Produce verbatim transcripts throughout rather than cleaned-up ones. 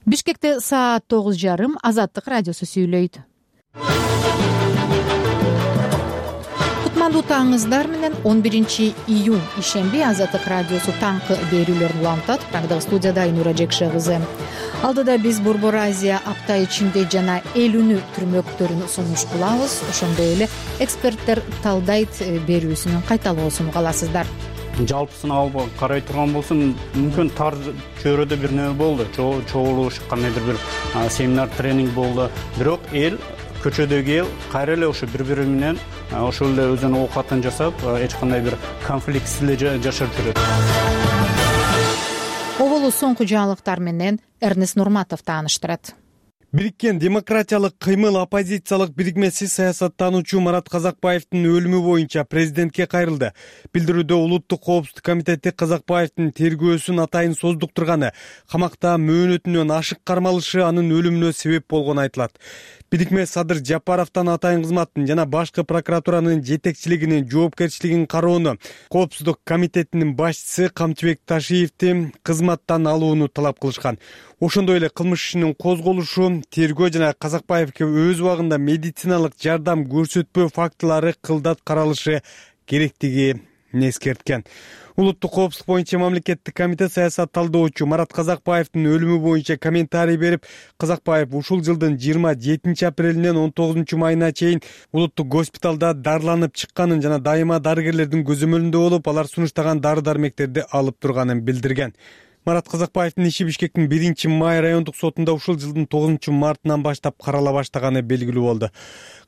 Бишкекте саат тогуз жарым. Азаттык радиосу сүйлөйт. Кутмандуу таңыңыздар менен он биринчи июнь ишемби Азаттык радиосу таңкы берүүлөрүн улантат. Программада студияда Айнура Жекше кызы. Алдыда биз Борбор Азия апта ичинде жана эл үнү түрмөктөрүн сунуш кылабыз. Ошондой эле эксперттер талдайт берүүсүнүн кайталоосун уга аласыздар. Жалпысын алып карай турган болсом, мүмкүн тар чөйрөдө бир нерсе болду. Чогулуш, кандайдыр бир семинар, тренинг болду. Бирок эл, көчөдөгү эл кайра эле ошо бири-бири менен ошол эле өзүнүн оокатын жасап, эч кандай бир конфликтсиз эле жашап жүрөт. Оболу соңку жаңылыктар менен Эрнест Нурматов тааныштырат. Бириккен демократиялык кыймыл оппозициялык бирикмеси саясаттануучу Марат Казакбаевдин өлүмү боюнча президентке кайрылды. Билдирүүдө Улуттук коопсуздук комитети Казакбаевдин тергөөсүн атайын создуктурганы, камакта мөөнөтүнөн ашык кармалышы анын өлүмүнө себеп болгону айтылат. Бирикме Садыр Жапаровдон атайын кызматтын жана башкы прокуратуранын жетекчилигинин жоопкерчилигин кароону, коопсуздук комитетинин башчысы Камчыбек Ташиевди кызматтан алууну талап кылышкан. Ошондой эле кылмыш ишинин козголушу, тергөө жана Казакбаевге өз убагында медициналык жардам көрсөтпөө фактылары кылдат каралышы керектигин эскерткен. Улуттук коопсуздук боюнча мамлекеттик комитет саясат талдоочу Марат Казакбаевдин өлүмү боюнча комментарий берип, Казакбаев ушул жылдын жыйырма жетинчи апрелинен он тогузунчу майына чейин улуттук госпиталда дарыланып чыкканын жана дайыма дарыгерлердин көзөмөлүндө болуп, алар сунуштаган дары-дармектерди алып турганын билдирген. Марат Казакбаевдин иши Бишкектин биринчи май райондук сотунда ушул жылдын тогузунчу мартынан баштап карала баштаганы белгилүү болду.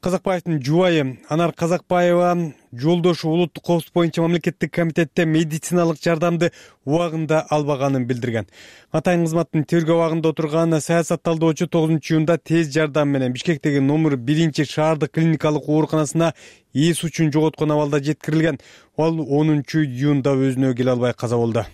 Казакбаевдин жубайы Анар Казакбаева жолдошу улуттук коопсуздук боюнча мамлекеттик комитетте медициналык жардамды убагында албаганын билдирген. Атайын кызматтын тергөө абагында отурган саясат талдоочу тогузунчу июнда тез жардам менен Бишкектеги номер биринчи шаардык клиникалык ооруканасына эс үчүн жоготкон абалда жеткирилген. Ал онунчу июнда өзүнө келе албай каза болду.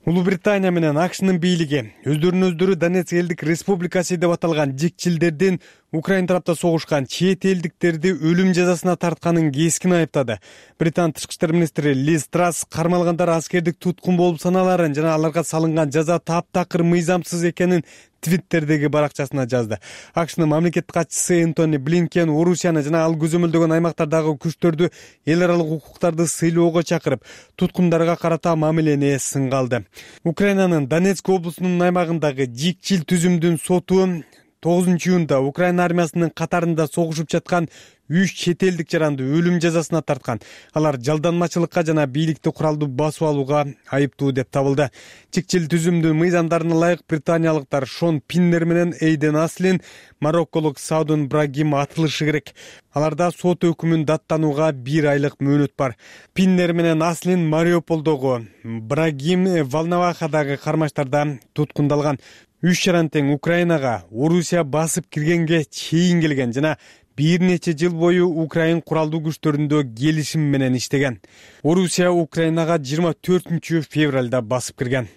Улуу Британия менен АКШнын бийлиги өздөрүн өздөрү Донецк элдик республикасы деп аталган жикчилдердин Украина тарапта согушкан чет элдиктерди өлүм жазасына тартканын кескин айыптады. Британ тышкы иштер министри Лиз Трасс кармалгандар аскердик туткун болуп саналарын жана аларга салынган жаза таптакыр мыйзамсыз экенин Твиттердеги баракчасына жазды. АКШнын мамлекеттик катчысы Энтони Блинкен Орусияны жана ал көзөмөлдөгөн аймактардагы күчтөрдү эл аралык укуктарды сыйлоого чакырып, туткундарга карата мамилени сынга алды. Украинанын Донецк облусунун аймагындагы жикчил түзүмдүн соту тогузунчу июнда Украина армиясынын катарында согушуп жаткан үч чет элдик жаранды өлүм жазасына тарткан. Алар жалданмачылыкка жана бийликти куралдуу басып алууга айыптуу деп табылды. Чикчил түзүмдүн мыйзамдарына ылайык британиялыктар Шон Пиннер менен Эйден Аслин, марокколук Саудун Брагим атылышы керек. Аларда сот өкүмүн даттанууга бир айлык мөөнөт бар. Пиннер менен Аслин Мариуполдогу, Брагим Волновахадагы кармаштарда туткундалган. Үч жаран тең Украинага Орусия басып киргенге чейин келген жана бир нече жыл бою Украин куралдуу күчтөрүндө келишим менен иштеген. Орусия Украинага жыйырма төртүнчү февралда басып кирген.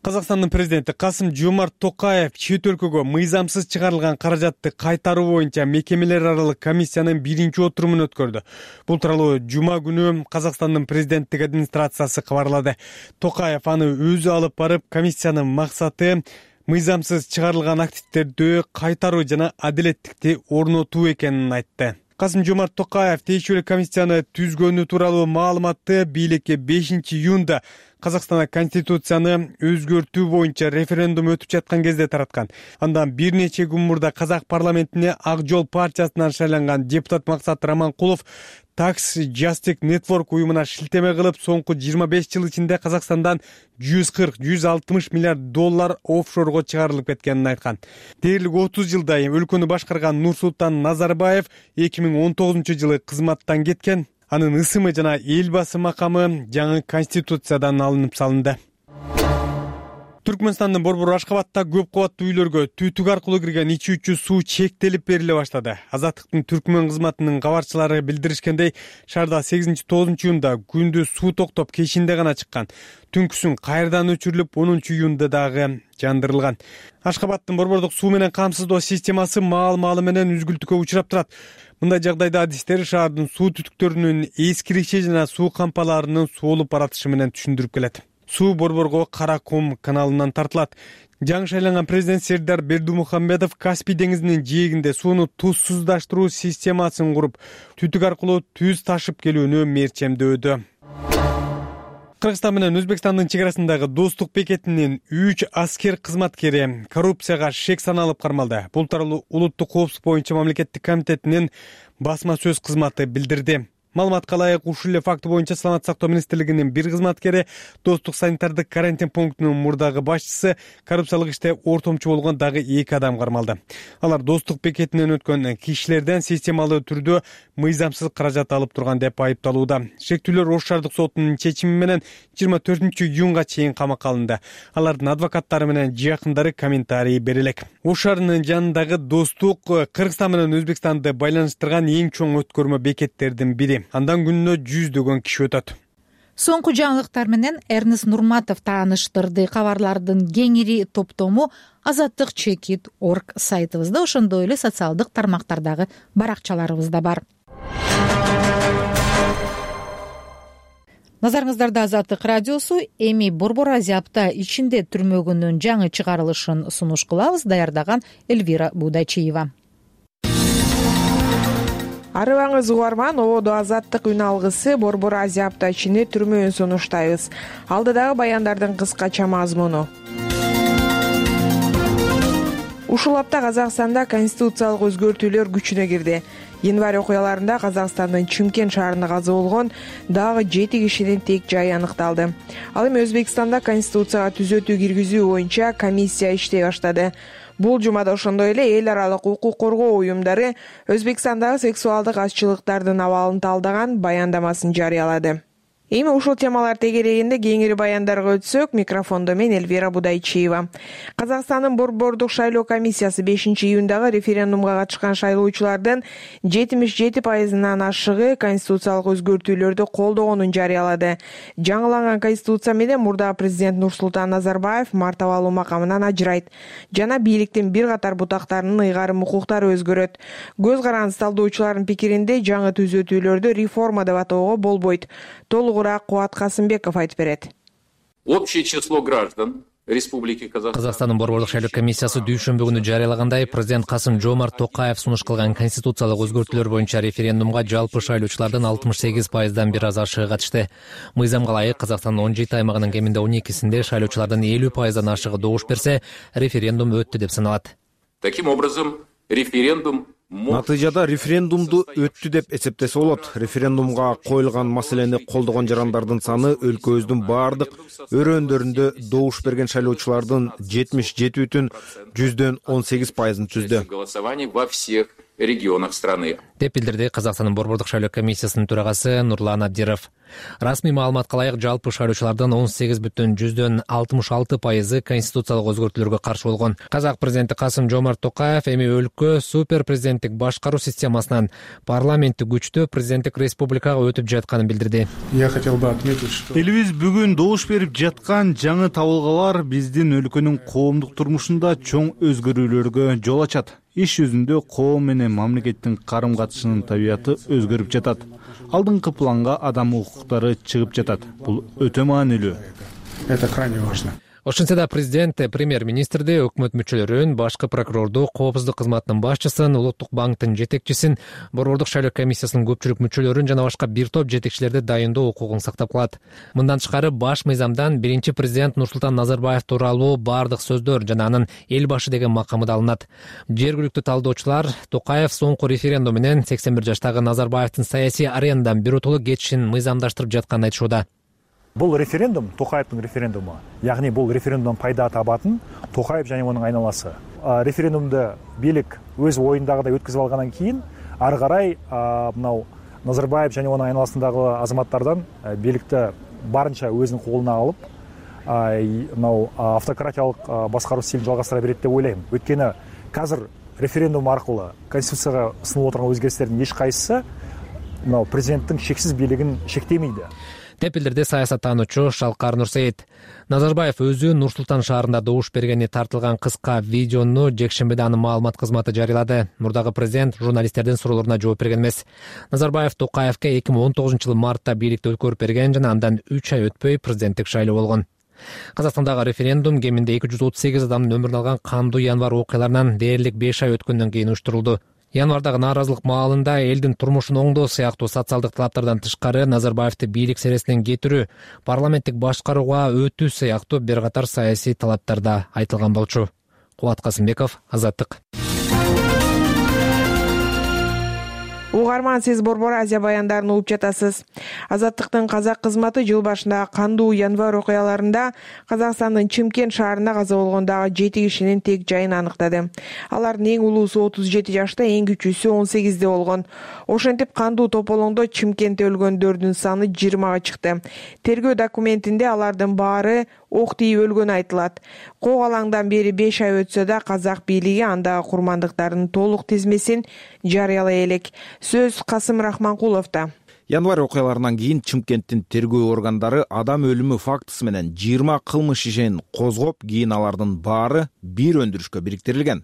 Казакстандын президенти Касым-Жомарт Токаев чет өлкөгө мыйзамсыз чыгарылган каражатты кайтаруу боюнча мекемелер аралык комиссиянын биринчи отурумун өткөрдү. Бул тууралуу жума күнү Казакстандын президенттик администрациясы кабарлады. Токаев аны өзү алып барып, комиссиянын максаты мыйзамсыз чыгарылган активдерди кайтаруу жана адилеттикти орнотуу экенин айтты. Касым-Жомарт Токаев тиешелүү комиссияны түзгөнү тууралуу маалыматты бийликке бешинчи июнда Казакстанда конституцияны өзгөртүү боюнча референдум өтүп жаткан кезде тараткан. Андан бир нече күн мурда Казак парламентине Ак жол партиясынан шайланган депутат Максат Раманкулов Tax Justice Network уюмуна шилтеме кылып, соңку жыйырма беш жыл ичинде Казакстандан жүз кырк — жүз алтымыш миллиард доллар офшорго чыгарылып кеткенин айткан. Дээрлик отуз жылдай өлкөнү башкарган Нурсултан Назарбаев эки миң он тогузунчу жылы кызматтан кеткен. Анын ысымы жана эл басы макамы жаңы конституциядан алынып салынды. Түркмөнстандын Борбор Ашкабадта көп кабаттуу үйлөргө түтүк аркылуу кирген ичүүчү суу чектелип бериле баштады. Азаттыктын Түркмөн кызматынын кабарчылары билдиришкендей, шаарда сегизинчи тогузунчу июнда күндүз суу токтоп кечинде гана чыккан. Түнкүсүн кайрадан өчүрүлүп, онунчу июнда дагы жандырылган. Ашкабадтын борбордук суу менен камсыздоо системасы маал-маалы менен үзгүлтүккө учурап турат. Мындай жагдайда адистер шаардын суу түтүктөрүнүн эскириши жана суу кампаларынын соолуп баратышы менен түшүндүрүп келет. Суу Борборго Кара кум каналынан тартылат. Жаңы шайланган президент Сердар Бердумухамедов Каспий деңизинин жээгинде сууну тузсуздаштыруу системасын куруп, түтүк аркылуу түз ташып келүүнү мерчемдөөдө. Кыргызстан менен Өзбекстандын чек арасындагы достук бекетинин үч аскер кызматкери коррупцияга шек саналып кармалды. Бул тууралуу улуттук коопсуздук боюнча мамлекеттик комитетинин басма сөз кызматы билдирди. Маалыматка ылайык, ушул эле факты боюнча Саламаттык сактоо министрлигинин бир кызматкери, достук санитардык карантин пунктунун мурдагы башчысы, коррупциялык иште ортомчу болгон дагы эки адам кармалды. Алар достук бекетинен өткөн кишилерден системалуу түрдө мыйзамсыз каражат алып турган деп айыпталууда. Шектүүлөр Ош шаардык сотунун чечими менен жыйырма төртүнчү июнга чейин камакка алынды. Алардын адвокаттары менен жакындары комментарий бере элек. Ош шаарынын жанындагы достук Кыргызстан менен Өзбекстанды байланыштырган эң чоң өткөрмө бекеттердин бири. Андан күнүнө жүздөгөн киши өтөт. Соңку жаңылыктар менен Эрнест Нурматов тааныштырды. Кабарлардын кеңири топтому Азаттык чекит точка орг сайтыбызда, ошондой эле социалдык тармактардагы баракчаларыбызда бар. Назарыңыздарда Азаттык радиосу. Эми Борбор Азия апта ичинде түрмөгүнүн жаңы чыгарылышын сунуш кылабыз. Даярдаган Эльвира Будачиева. Арыбаңыз угарман, ободо Азаттык үн алгысы Борбор Азия апта ичинде түрмөөн сунуштайбыз. Алдыдагы баяндардын кыскача мазмуну. Ушул апта Казакстанда конституциялык өзгөртүүлөр күчүнө кирди. Январь окуяларында Казакстандын Чымкент шаарында каза болгон дагы жети кишинин тек жайы аныкталды. Ал эми Өзбекстанда конституцияга түзөтүү киргизүү боюнча комиссия иштей баштады. Бул жумада ошондой эле эл аралык укук коргоо уюмдары Өзбекстандагы сексуалдык азчылыктардын абалын талдаган баяндамасын жарыялады. Эми ушул темалар тегерегинде кеңири баяндарга өтсөк, микрофондо мен Эльвира Будайчиева. Казакстандын Борбордук шайлоо комиссиясы бешинчи июндагы референдумга катышкан шайлоочулардын жетимиш жети пайызынан ашыгы конституциялык өзгөртүүлөрдү колдогонун жарыялады. Жаңыланган конституция менен мурдагы президент Нурсултан Назарбаев мартабалуу макамынан ажырайт жана бийликтин бир катар бутактарынын ыйгарым укуктары өзгөрөт. Көз каранды талдоочулардын пикиринде жаңы түзөтүүлөрдү реформа деп атоого болбойт. Толугураак Кубат Касымбеков айтып берет. Общее число граждан Республики Казакстан. Казакстандын Борбордук шайлоо комиссиясы дүйшөмбү күнү жарыялагандай, президент Касым-Жомарт Токаев сунуш кылган конституциялык өзгөртүүлөр боюнча референдумга жалпы шайлоочулардын алтымыш сегиз пайыздан бир аз ашыгы катышты. Мыйзамга ылайык Казакстандын он жети аймагынын кеминде он экисинде шайлоочулардын элүү пайыздан ашыгы добуш берсе, референдум өттү деп саналат. Таким образом, референдум Натыйжада референдумду өттү деп эсептесе болот. Референдумга коюлган маселени колдогон жарандардын саны өлкөбүздүн баардык өрөөндөрүндө добуш берген шайлоочулардын жетимиш жети бүтүн жүздөн он сегиз пайызын түздү. Голосование во всех регионах страны. Деп билдирди Казакстандын Борбордук шайлоо комиссиясынын төрагасы Нурлан Абдиров. Расмий маалыматка ылайык жалпы шайлоочулардын он сегиз бүтүн жүздөн алтымыш алты пайызы конституциялык өзгөртүүлөргө каршы болгон. Казак президенти Касым-Жомарт Токаев эми өлкө супер президенттик башкаруу системасынан парламенттик күчтүү президенттик республикага өтүп жатканын билдирди. Я хотел бы отметить, что элибиз бүгүн добуш берип жаткан жаңы табылгалар биздин өлкөнүн коомдук турмушунда чоң өзгөрүүлөргө жол ачат. Иш жүзүндө коом менен мамлекеттин карым катышынын табияты өзгөрүп жатат. Алдыңкы планга адам укуктары чыгып жатат. Бул өтө маанилүү. Это крайне важно. Ошентсе да президент, премьер-министрди, өкмөт мүчөлөрүн, башкы прокурорду, коопсуздук кызматынын башчысын, Улуттук банктын жетекчисин, Борбордук шайлоо комиссиясынын көпчүлүк мүчөлөрүн жана башка бир топ жетекчилерди дайындоо укугун сактап калат. Мындан тышкары баш мыйзамдан биринчи президент Нурсултан Назарбаев тууралуу бардык сөздөр жана анын эл башы деген макамы да алынат. Жергиликтүү талдоочулар Токаев соңку референдум менен сексен бир жаштагы Назарбаевдин саясий аренадан биротоло кетишин мыйзамдаштырып жатканын айтышууда. Бул референдум Токаевдин референдуму. Ягни бул референдумдан пайда табатын Токаев жана мунун айналасы. Референдумду бийлик өз оюндагыдай өткөзүп алгандан кийин ары карай мынау Назарбаев жана мунун айналасындагы азаматтардан бийликти барынча өзүнүн колуна алып, мынау автократиялык башкаруу стилин жалгастыра берет деп ойлойм. Өткөнү азыр референдум аркылуу конституцияга сунуп отурган өзгөртүүлөрдүн эч кайсысы мынау президенттин шексиз бийлигин шектемейди. Деп билдирди саясаттануучу Шалкар Нурсейит. Назарбаев өзү Нур-Султан шаарында добуш бергени тартылган кыска видеону жекшембиде анын маалымат кызматы жарыялады. Мурдагы президент журналисттердин суроолоруна жооп берген эмес. Назарбаев Токаевке эки миң он тогузунчу жылы мартта бийликти өткөрүп берген жана андан үч ай өтпөй президенттик шайлоо болгон. Казакстандагы референдум кеминде эки жүз отуз сегиз адамдын өмүрүн алган кандуу январь окуяларынан дээрлик беш ай өткөндөн кийин уюштурулду. Январдагы нааразылык маалында элдин турмушун оңдоо сыяктуу социалдык талаптардан тышкары Назарбаевди бийлик сересинен кетирүү, парламенттик башкарууга өтүү сыяктуу бир катар саясий талаптар да айтылган болчу. Кубат Касымбеков, Азаттык. Угарман, сиз Борбор Азия баяндарын угуп жатасыз. Азаттыктын казак кызматы жыл башында кандуу январь окуяларында Казакстандын Чымкент шаарында каза болгондагы жети кишинин тек жайын аныктады. Алардын эң улуусу отуз жети жашта, эң кичүүсү он сегизде болгон. Ошентип кандуу тополоңдо Чымкентте өлгөндөрдүн саны жыйырмага чыкты. Тергөө документинде алардын баары ок тийип өлгөнү айтылат. Кок алаңдан бери беш ай өтсө да казак бийлиги андагы курмандыктардын толук тизмесин жарыялай элек. Сөз Касым Рахманкуловдо. Январь окуяларынан кийин Чымкенттин тергөө органдары адам өлүмү фактысы менен жыйырма кылмыш ишин козгоп, кийин алардын баары бир өндүрүшкө бириктирилген.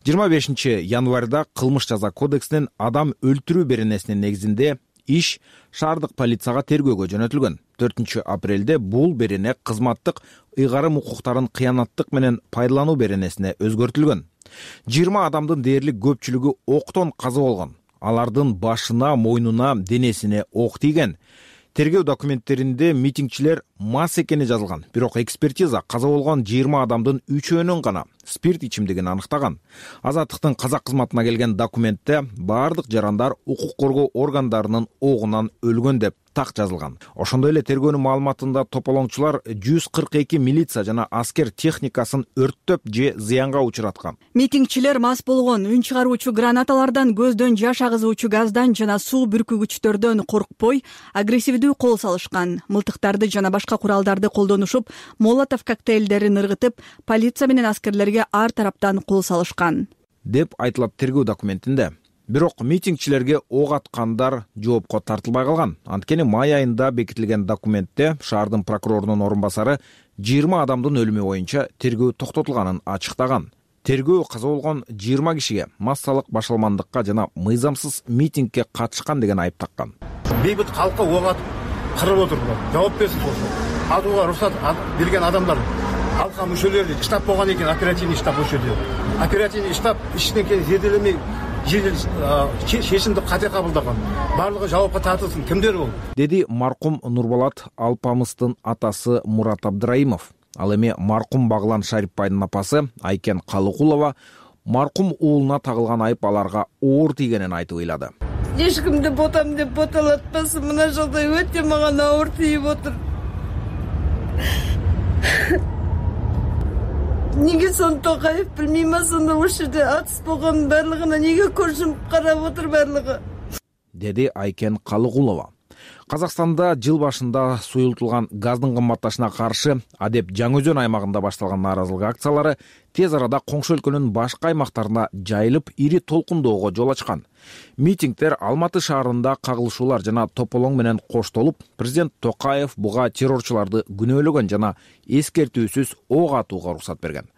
жыйырма бешинчи январда кылмыш жаза кодексинин адам өлтүрүү беренесинин негизинде иш шаардык полицияга тергөөгө жөнөтүлгөн. төртүнчү апрелде бул берене кызматтык ыйгарым укуктарын кыянаттык менен пайдалануу беренесине өзгөртүлгөн. жыйырма адамдын дээрлик көпчүлүгү октон каза болгон. Алардын башына, мойнуна, денесине ок тийген. Тергөө документтеринде митингчилер мас экени жазылган. Бирок экспертиза каза болгон жыйырма адамдын үчөөнүн гана спирт ичимдигин аныктаган. Азаттыктын казак кызматына келген документте баардык жарандар укук коргоо органдарынын огунан өлгөн деп так жазылган. Ошондой эле тергөөнүн маалыматында тополоңчулар жүз кырк эки милиция жана аскер техникасын өрттөп же зыянга учураткан. Митингчилер мас болгон, үн чыгаруучу гранаталардан, көздөн жаш агызуучу газдан жана суу бүркүгүчтөрдөн коркпой, агрессивдүү кол салышкан. Мылтыктарды жана башка куралдарды колдонушуп, молотов коктейлдерин ыргытып, полиция менен аскерлерге ар тараптан кол салышкан деп айтылат тергөө документинде. Бирок митингчилерге ок аткандар жоопко тартылбай калган. Анткени май айында бекитилген документте шаардын прокурорунун орун басары жыйырма адамдын өлүмү боюнча тергөө токтотулганын ачыктаган. Тергөө каза болгон жыйырма кишиге массалык башаламандыкка жана мыйзамсыз митингге катышкан деген айып таккан. Бейбит калкка ок атып кырып отуруп, жооп берсин болсо. Атууга уруксат берген адамдар алка мүчөлөрү штаб болгон экен, оперативный штаб ошол жерде. Оперативный штаб иштен кийин зерделемей чечимди кате кабылдаган. Барлыгы жоопко тартылсын. Кимдер бул? Деди маркум Нурболот Алпамыстын атасы Мурат Абдраимов. Ал эми маркум Баглан Шарипбайдын апасы Айкен Калыкулова маркум уулуна тагылган айып аларга оор тийгенин айтып ыйлады. Эч кимди ботам деп боталатпасын, мына жолдой өтө мага оор тийип отур. Неге сон Токаев билмейм, сонда ошол жерде атыс болгон барлыгына неге көршүм карап отур барлыгы? Деди Айкен Калыкулова. Казакстанда жыл башында суюлтулган газдын кымбатташына каршы Адеп Жаңы-Өзөн аймагында башталган нааразылык акциялары тез арада коңшу өлкөнүн башка аймактарына жайылып, ири толкундоого жол ачкан. Митингдер Алматы шаарында кагылышуулар жана тополоң менен коштолуп, президент Токаев буга террорчуларды күнөөлөгөн жана эскертүүсүз ок атууга уруксат берген.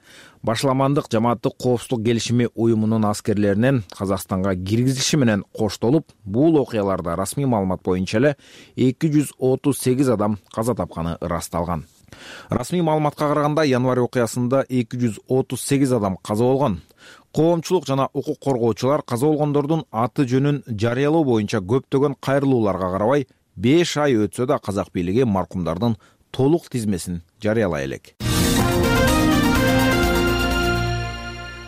Башаламандык жамааттык коопсуздук келишими уюмунун аскерлеринин Казакстанга киргизилиши менен коштолуп, бул окуяларда расмий маалымат боюнча эле эки жүз отуз сегиз адам каза тапканы ырасталган. Расмий маалыматка караганда январь окуясында эки жүз отуз сегиз адам каза болгон. Коомчулук жана укук коргоочулар каза болгондордун аты жөнүн жарыялоо боюнча көптөгөн кайрылууларга карабай, беш ай өтсө да казак бийлиги маркумдардын толук тизмесин жарыялай элек.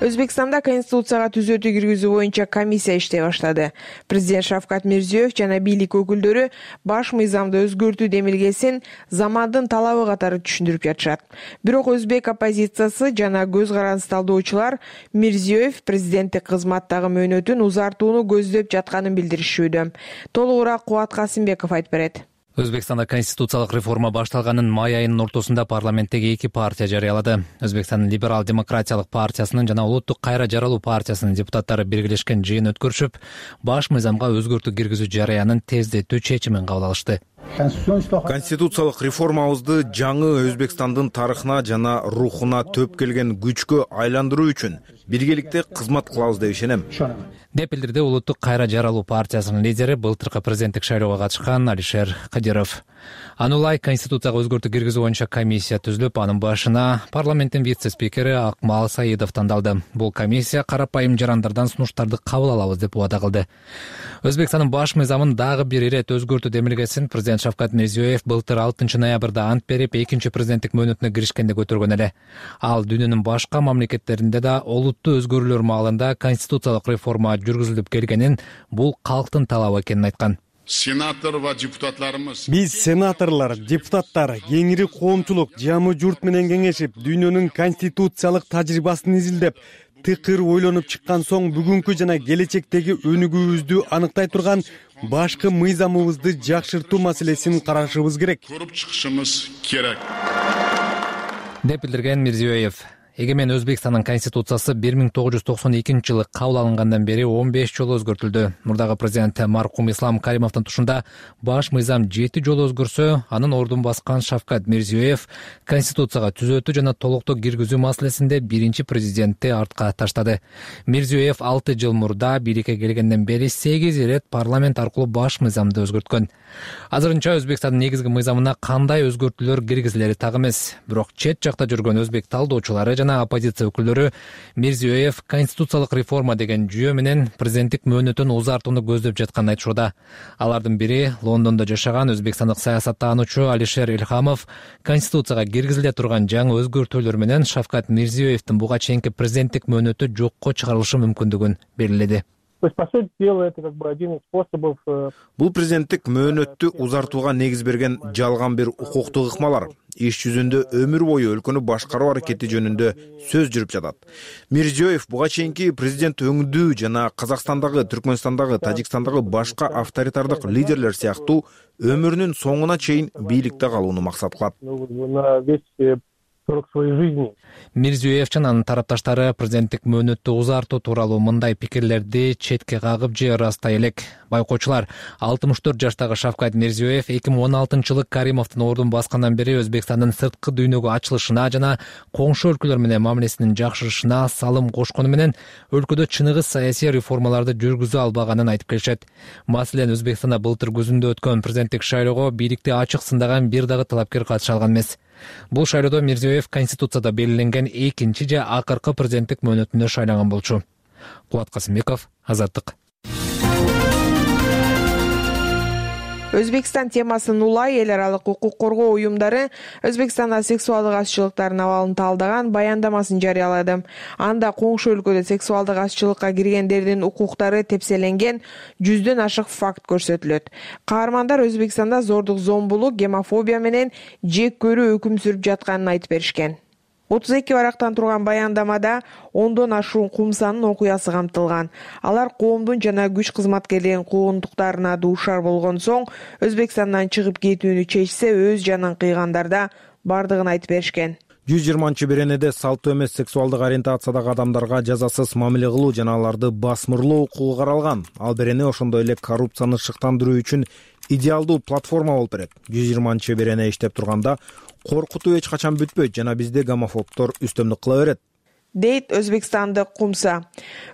Өзбекстанда конституцияга түзөтүү киргизүү боюнча комиссия иштей баштады. Президент Шавкат Мирзиёев жана бийлик өкүлдөрү баш мыйзамды өзгөртүү демилгесин замандын талабы катары түшүндүрүп жатышат. Бирок өзбек оппозициясы жана көз каранды талдоочулар Мирзиёев президенттик кызматтагы мөөнөтүн узартууну көздөп жатканын билдиришүүдө. Толугураак Кубат Касымбеков айтып берет. Өзбекстанда конституциялык реформа башталганын май айынын ортосунда парламенттеги эки партия жарыялады. Өзбекстандын либерал демократиялык партиясынын жана улуттук кайра жаралуу партиясынын депутаттары биргелешкен жыйын өткөрүшүп, баш мыйзамга өзгөртүү киргизүү жарыянын тездетүү чечимин кабыл алышты. конституциялык реформабызды жаңы Өзбекстандын тарыхына жана рухуна төп келген күчкө айландыруу үчүн биргеликте кызмат кылабыз деп ишенем, деп билдирди улуттук кайра жаралуу партиясынын лидери, былтыркы президенттик шайлоого катышкан Алишер Кадиров. Аны улай конституцияга өзгөртүү киргизүү боюнча комиссия түзүлүп, анын башына парламенттин вице-спикери Акмал Саидов тандалды. Бул комиссия карапайым жарандардан сунуштарды кабыл алабыз деп убада кылды. Өзбекстандын баш мыйзамын дагы бир ирет өзгөртүү демилгесин президент Шавкат Мирзиёев былтыр алтынчы ноябрда ант берип, экинчи президенттик мөөнөтүнө киришкенде көтөргөн эле. Ал дүйнөнүн башка мамлекеттеринде да олуттуу өзгөрүүлөр маалында конституциялык реформа жүргүзүлүп келгенин, бул калктын талабы экенин айткан. Сенатор ва депутаттарыбыз биз сенаторлор, депутаттар, кеңири коомчулук жамы журт менен кеңешип, дүйнөнүн конституциялык тажрыйбасын изилдеп, тыкыр ойлонуп чыккан соң бүгүнкү жана келечектеги өнүгүүбүздү аныктай турган башкы мыйзамыбызды жакшыртуу маселесин карашыбыз керек. Көрүп чыгышыбыз керек, деп билдирген Мирзиёев. Эгемен Өзбекстандын конституциясы бир миң тогуз жүз токсон экинчи жылы кабыл алынгандан бери он беш жолу өзгөртүлдү. Мурдагы президент маркум Ислам Каримовдун тушунда баш мыйзам жети жолу өзгөрсө, анын ордун баскан Шавкат Мирзиёев конституцияга түзөтүү жана толуктоо киргизүү маселесинде биринчи президентти артка таштады. Мирзиёев алты жыл мурда бийликке келгенден бери сегиз ирет парламент аркылуу баш мыйзамды өзгөрткөн. Азырынча Өзбекстандын негизги мыйзамына кандай өзгөртүүлөр киргизилери так эмес. Бирок чет жакта жүргөн өзбек талдоочулары жана оппозиция өкүлдөрү Мирзиёев конституциялык реформа деген жүйө менен президенттик мөөнөтүн узартууну көздөп жатканын айтышууда. Алардын бири Лондондо жашаган өзбекстандык саясаттануучу Алишер Илхамов конституцияга киргизиле турган жаңы өзгөртүүлөр менен Шавкат Мирзиёевдин буга чейинки президенттик мөөнөтү жокко чыгарылышы мүмкүндүгүн белгиледи. Бул президенттик мөөнөттү узартууга негиз берген жалган бир укуктук ыкмалар. Иш жүзүндө өмүр бою өлкөнү башкаруу аракети жөнүндө сөз жүрүп жатат. Мирзиёев буга чейинки президент өңдүү жана Казакстандагы, Түркмөнстандагы, Тажикстандагы башка авторитардык лидерлер сыяктуу өмүрүнүн соңуна чейин бийликте калууну максат кылат. Мирзиёев жана анын тарапташтары президенттик мөөнөттү узартуу тууралуу мындай пикирлерди четке кагып же ырастай элек. Байкоочулар, алтымыш төрт жаштагы Шавкат Мирзиёев эки миң он алтынчы жылы Каримовдун ордун баскандан бери Өзбекстандын сырткы дүйнөгө ачылышына жана коңшу өлкөлөр менен мамилесинин жакшырышына салым кошкону менен өлкөдө чыныгы саясий реформаларды жүргүзө албаганын айтып келишет. Маселен, Өзбекстанда былтыр күзүндө өткөн президенттик шайлоого бийликти ачык сындаган бир дагы талапкер катыша алган эмес. Бул шайлоодо Мирзиёев конституцияда белгиленген экинчи же акыркы президенттик мөөнөтүнө шайланган болчу. Кубат Касымбеков, Азаттык. Өзбекстан темасын улай эл аралык укук коргоо уюмдары Өзбекстанда сексуалдык азчылыктардын абалын талдаган баяндамасын жарыялады. Анда коңшу өлкөдө сексуалдык азчылыкка киргендердин укуктары тепселенген жүздөн ашык факт көрсөтүлөт. Каармандар Өзбекстанда зордук, зомбулук, гомофобия менен жек көрүү өкүм сүрүп жатканын айтып беришкен. отуз эки барактан турган баяндамада ондон ашуун кумсанын окуясы камтылган. Алар коомдун жана күч кызматкерлеринин куугунтуктарына дуушар болгон соң Өзбекстандан чыгып кетүүнү чечсе, өз жанын кыйгандарда бардыгын айтып беришкен. жүз жыйырманчы беренеде салттуу эмес сексуалдык ориентациядагы адамдарга жазасыз мамиле кылуу жана аларды басмырлоо укугу каралган. Ал берене ошондой эле коррупцияны шыктандыруу үчүн идеалдуу платформа болуп берет. жүз жыйырманчы берене иштеп турганда коркутуу эч качан бүтпөйт жана бизде гомофобдор үстөмдүк кыла берет, дейт өзбекстандык кумса.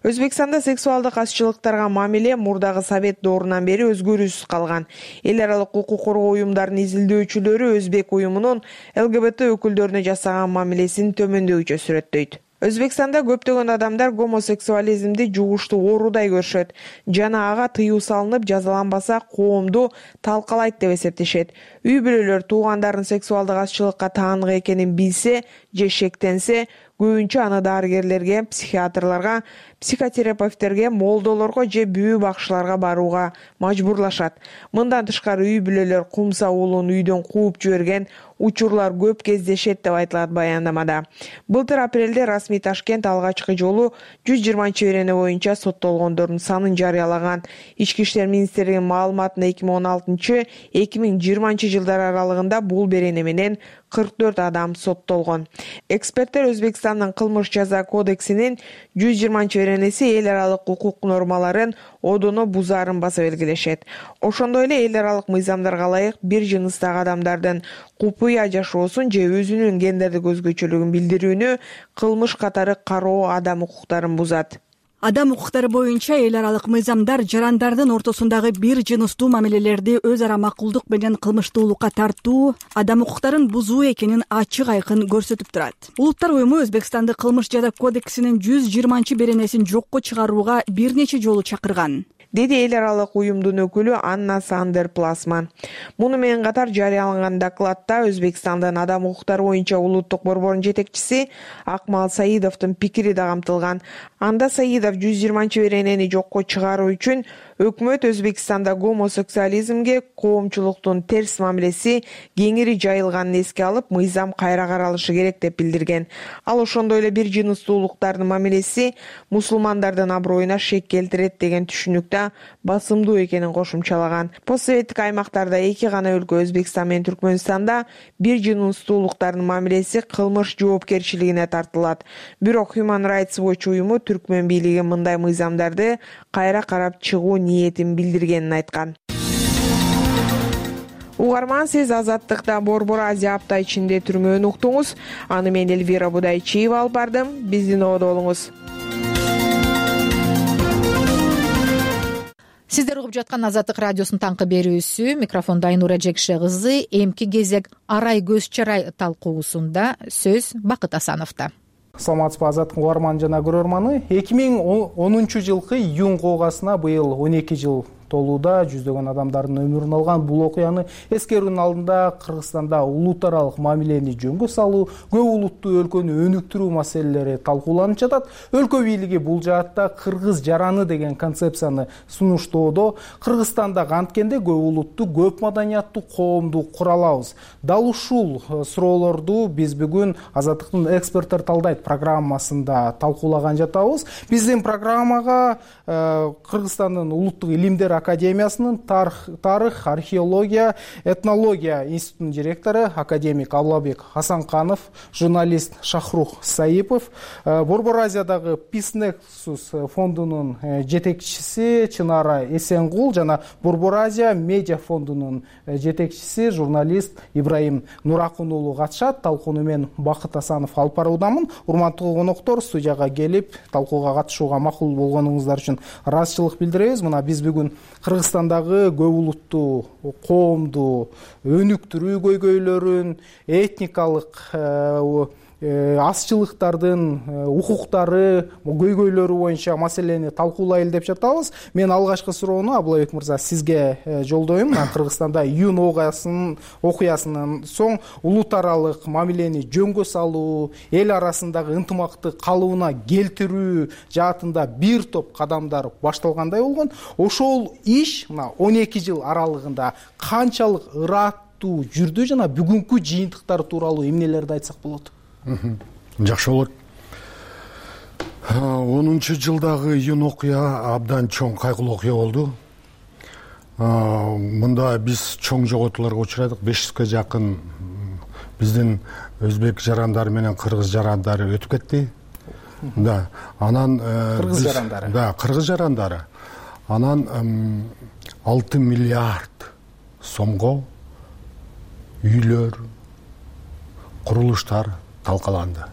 Өзбекстанда сексуалдык азчылыктарга мамиле мурдагы совет доорунан бери өзгөрүүсүз калган. Эл аралык укук коргоо уюмдарынын изилдөөчүлөрү өзбек уюмунун ЛГБТ өкүлдөрүнө жасаган мамилесин төмөндөгүчө сүрөттөйт. Өзбекстанда көптөгөн адамдар гомосексуализмди жугуштуу оорудай көрүшөт жана ага тыюу салынып жазаланбаса коомду талкалайт деп эсептешет. Үй бүлөлөр туугандарынын сексуалдык азчылыкка таандык экенин билсе же шектенсе, көбүнчө аны дарыгерлерге, психиатрларга, психотерапевттерге, молдолорго же бүү бакчыларга барууга мажбурлашат. Мындан тышкары үй бүлөлөр кумса уулун үйдөн кууп жиберген учурлар көп кездешет деп айтылат баяндамада. Былтыр апрелде расмий Ташкент алгачкы жолу жүз жыйырманчы берене боюнча соттолгондордун санын жарыялаган. Ички иштер министрлигинин маалыматына эки миң он алтынчы эки миң жыйырманчы жылдар аралыгында бул берене менен кырк төрт адам соттолгон. Эксперттер Өзбекстандын кылмыш жаза кодексинин жүз жыйырманчы беренеси эл аралык укук нормаларын одоно бузаарын баса белгилешет. Ошондой эле эл аралык мыйзамдарга ылайык бир жыныстагы адамдардын купуя жашоосун же өзүнүн гендердик өзгөчөлүгүн билдирүүнү кылмыш катары кароо адам укуктарын бузат. Адам укуктары боюнча эл аралык мыйзамдар жарандардын ортосундагы бир жыныстуу мамилелерди өз ара макулдук менен кылмыштуулукка тартуу адам укуктарын бузуу экенин ачык айкын көрсөтүп турат. Улуттар уюму Өзбекстанды кылмыш жаза кодексинин жүз жыйырманчы беренесин жокко чыгарууга бир нече жолу чакырган, деди эл аралык уюмдун өкүлү Анна Сандер Пласман. Муну менен катар жарыяланган докладта Өзбекстандын адам укуктары боюнча улуттук борборунун жетекчиси Акмал Саидовдун пикири да камтылган. Анда Саидов жүз жыйырманчы беренени жокко чыгаруу үчүн өкмөт Өзбекстанда гомосексуализмге коомчулуктун терс мамилеси кеңири жайылганын эске алып, мыйзам кайра каралышы керек деп билдирген. Ал ошондой эле бир жыныстуулуктардын мамилеси мусулмандардын аброюна шек келтирет деген түшүнүктө басымдуу экенин кошумчалаган. Постсоветтик аймактарда эки гана өлкө Өзбекстан менен Түркмөнстанда бир жыныстуулуктардын мамилеси кылмыш жоопкерчилигине тартылат. Бирок Human Rights Watch уюму түркмөн бийлиги мындай мыйзамдарды кайра карап чыгуу ниетин билдиргенин айткан. Угарман, сиз Азаттыкта Борбор Азия апта ичинде түрмөөнү уктуңуз. Аны мен Эльвира Будайчиева алып бардым. Биздин ободо болуңуз. Сиздер угуп жаткан Азаттык радиосунун таңкы берүүсү. Микрофондо Айнура Жекше кызы. Эмки кезек арай көз чарай талкуусунда сөз Бакыт Асановдо. Саламатсызбы, Азаттыктын угарманы жана көрөрманы. эки миң онунчу жылкы июнь окугасына быйыл он эки жыл толууда. Жүздөгөн адамдардын өмүрүн алган бул окуяны эскерүүнүн алдында Кыргызстанда улут аралык мамилени жөнгө салуу, көп улуттуу өлкөнү өнүктүрүү маселелери талкууланып жатат. Өлкө бийлиги бул жаатта кыргыз жараны деген концепцияны сунуштоодо. Кыргызстанда анткенде көп улуттуу, көп маданияттуу коомду кура алабыз. Дал ушул суроолорду биз бүгүн Азаттыктын эксперттер талдайт программасында талкуулаган жатабыз. Биздин программага Кыргызстандын улуттук илимдер академиясынын тарых, тарых, археология, этнология институтунун директору академик Аблабек Хасанканов, журналист Шахрух Саипов, Борбор Азиядагы Peace Nexus фондунун жетекчиси Чынара Эсенгул жана Борбор Азия медиа фондунун жетекчиси журналист Ибраим Нуракун уулу катышат. Талкууну мен Бакыт Асанов алып баруудамын. Урматтуу коноктор, студияга келип талкууга катышууга макул болгонуңуздар үчүн ыраазычылык билдиребиз. Мына биз бүгүн Кыргызстандагы көп улуттуу коомду өнүктүрүү көйгөйлөрүн, этникалык азчылыктардын укуктары, көйгөйлөрү боюнча маселени талкуулайлы деп жатабыз. Мен алгачкы суроону Аблабек мырза сизге жолдойм. Кыргызстанда июнь окуясынын окуясынан соң улут аралык мамилени жөнгө салуу, эл арасындагы ынтымакты калыбына келтирүү жаатында бир топ кадамдар башталгандай болгон. Ошол иш мына он эки жыл аралыгында канчалык ыраттуу жүрдү жана бүгүнкү жыйынтыктар тууралуу эмнелерди айтсак болот? Жакшы болот. онунчу жылдагы июнь окуя абдан чоң кайгылуу окуя болду. Мында биз чоң жоготууларга учурадык. беш жүзгө жакын биздин өзбек жарандары менен кыргыз жарандары өтүп кетти. Да, анан кыргыз жарандары. Да, кыргыз жарандары. Анан алты миллиард сомго үйлөр, курулуштар талкаланды.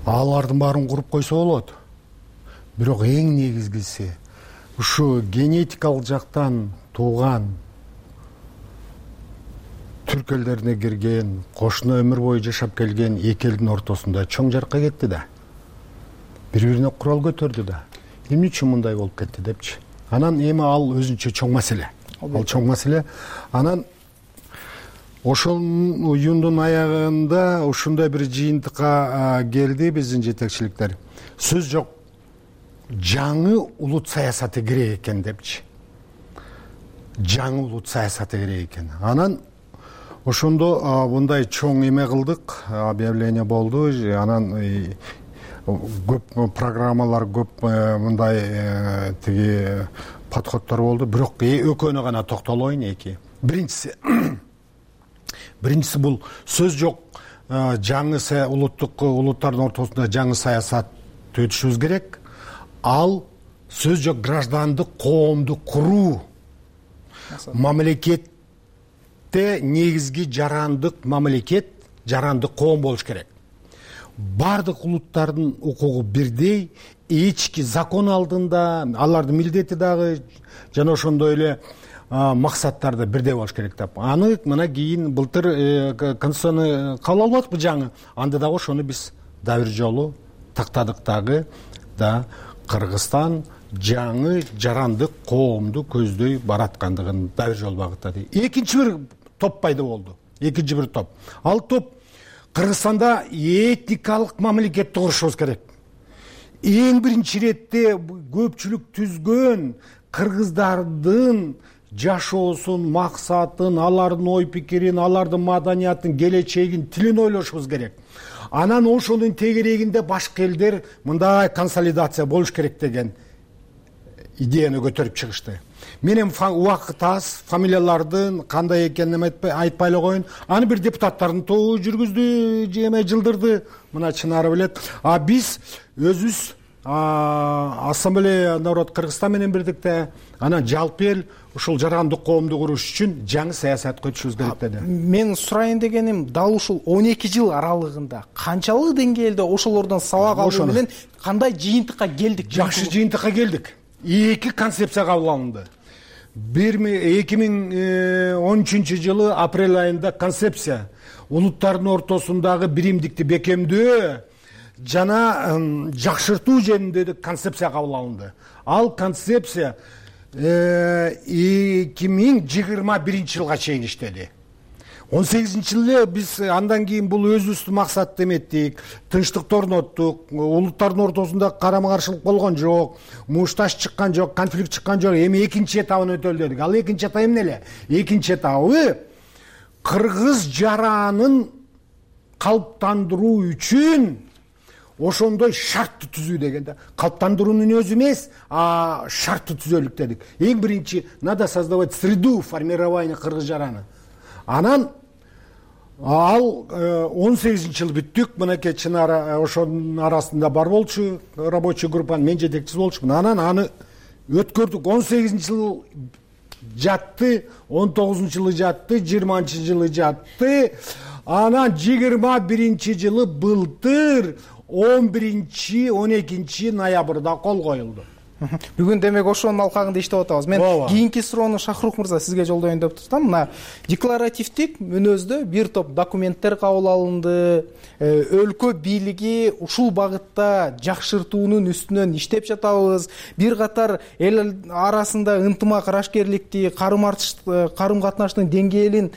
Алардын баарын куруп койсо болот. Бирок эң негизгиси ушу генетикалык жактан тууган түрк элдерине кирген, кошуна өмүр бою жашап келген эки элдин ортосунда чоң жарыкка кетти да. Бири-бирине курал көтөрдү да. Эмне үчүн мындай болуп кетти депчи. Анан эми ал өзүнчө чоң маселе. Ал чоң маселе. Анан ошол июндун аягында ушундай бир жыйынтыкка келди биздин жетекчиликтер. Сөз жок, жаңы улут саясаты керек экен депчи. Жаңы улут саясаты керек экен. Анан ошондо мындай чоң эме кылдык, объявление болду. Анан көп программалар, көп мындай тиги подходдор болду. Бирок экөөнө гана токтолоюн эки. Биринчиси биринчиси бул сөз жок жаңы улуттук улуттардын ортосунда жаңы саясат өтүшүбүз керек. Ал сөз жок граждандык коомду куруу, мамлекетте негизги жарандык мамлекет, жарандык коом болуш керек. Бардык улуттардын укугу бирдей, эчки закон алдында алардын милдети дагы жана ошондой эле максаттар да бирдей болуш керек деп. Аны мына кийин былтыр конституцияны кабыл алып атпы жаңы. Анда дагы ошону биз да бир жолу тактадык дагы да Кыргызстан жаңы жарандык коомду көздөй бараткандыгын да бир жолу багыттады. Экинчи бир топ пайда болду. Экинчи бир топ. Ал топ Кыргызстанда этникалык мамлекетти курушубуз керек. Эң биринчи иретте көпчүлүк түзгөн кыргыздардын жашоосун, максатын, алардын ой пикирин, алардын маданиятын, келечегин, тилин ойлошубуз керек. Анан ошонун тегерегинде башка элдер мындай консолидация болуш керек деген идеяны көтөрүп чыгышты. Менин убакыт аз, фамилиялардын кандай экенин айтпай эле коеюн. Аны бир депутаттардын тобу жүргүздү, жеме жылдырды. Мына Чынары билет. А биз өзүбүз Ассамблея народ Кыргызстан менен бирдикте анан жалпы эл ушул жарандык коомду куруш үчүн жаңы саясатка өтүшүбүз керек деди. Мен сурайын дегеним, дал ушул он эки жыл аралыгында канчалык деңгээлде ошолордон сабак алуу менен кандай жыйынтыкка келдик? Жакшы жыйынтыкка келдик. Эки концепция кабыл алынды. эки миң он үчүнчү жылы апрель айында концепция улуттардын ортосундагы биримдикти бекемдөө жана жакшыртуу жөнүндө концепция кабыл алынды. Ал концепция эки миң жыйырма биринчи жылга чейин иштеди. он сегизинчи жылы биз андан кийин бул өзүбүздүн максатты эметтик, тынчтыкты орноттук, улуттардын ортосунда карама каршылык болгон жок, мушташ чыккан жок, конфликт чыккан жок. Эми экинчи этабын өтөлү дедик. Ал экинчи этап эмне эле? Экинчи этабы кыргыз жаранын калыптандыруу үчүн ошондой шартты түзүү дегенде, калыптандыруунун өзү эмес, а шартты түзөлүк дедик. Эң биринчи надо создавать среду формирования кыргыз жараны. Анан ал он сегизинчи жыл бүттүк. Мынакей Чынара ошонун арасында бар болчу, рабочий группанын мен жетекчиси болчумун. Анан аны өткөрдүк. он сегизинчи жыл жатты, он тогузунчу жылы жатты, жыйырманчы жылы жатты. Анан жыйырма биринчи жылы былтыр он биринчи он экинчи ноябрда кол коюлду. Бүгүн демек ошонун алкагында иштеп атабыз. Мен кийинки суроону Шахрух мырза сизге жолдоюн деп турсам, мына декларативдик мүнөздө бир топ документтер кабыл алынды. Өлкө бийлиги ушул багытта жакшыртуунун үстүнөн иштеп жатабыз. Бир катар эл арасында ынтымак, арашкерликти, карым катнаштын деңгээлин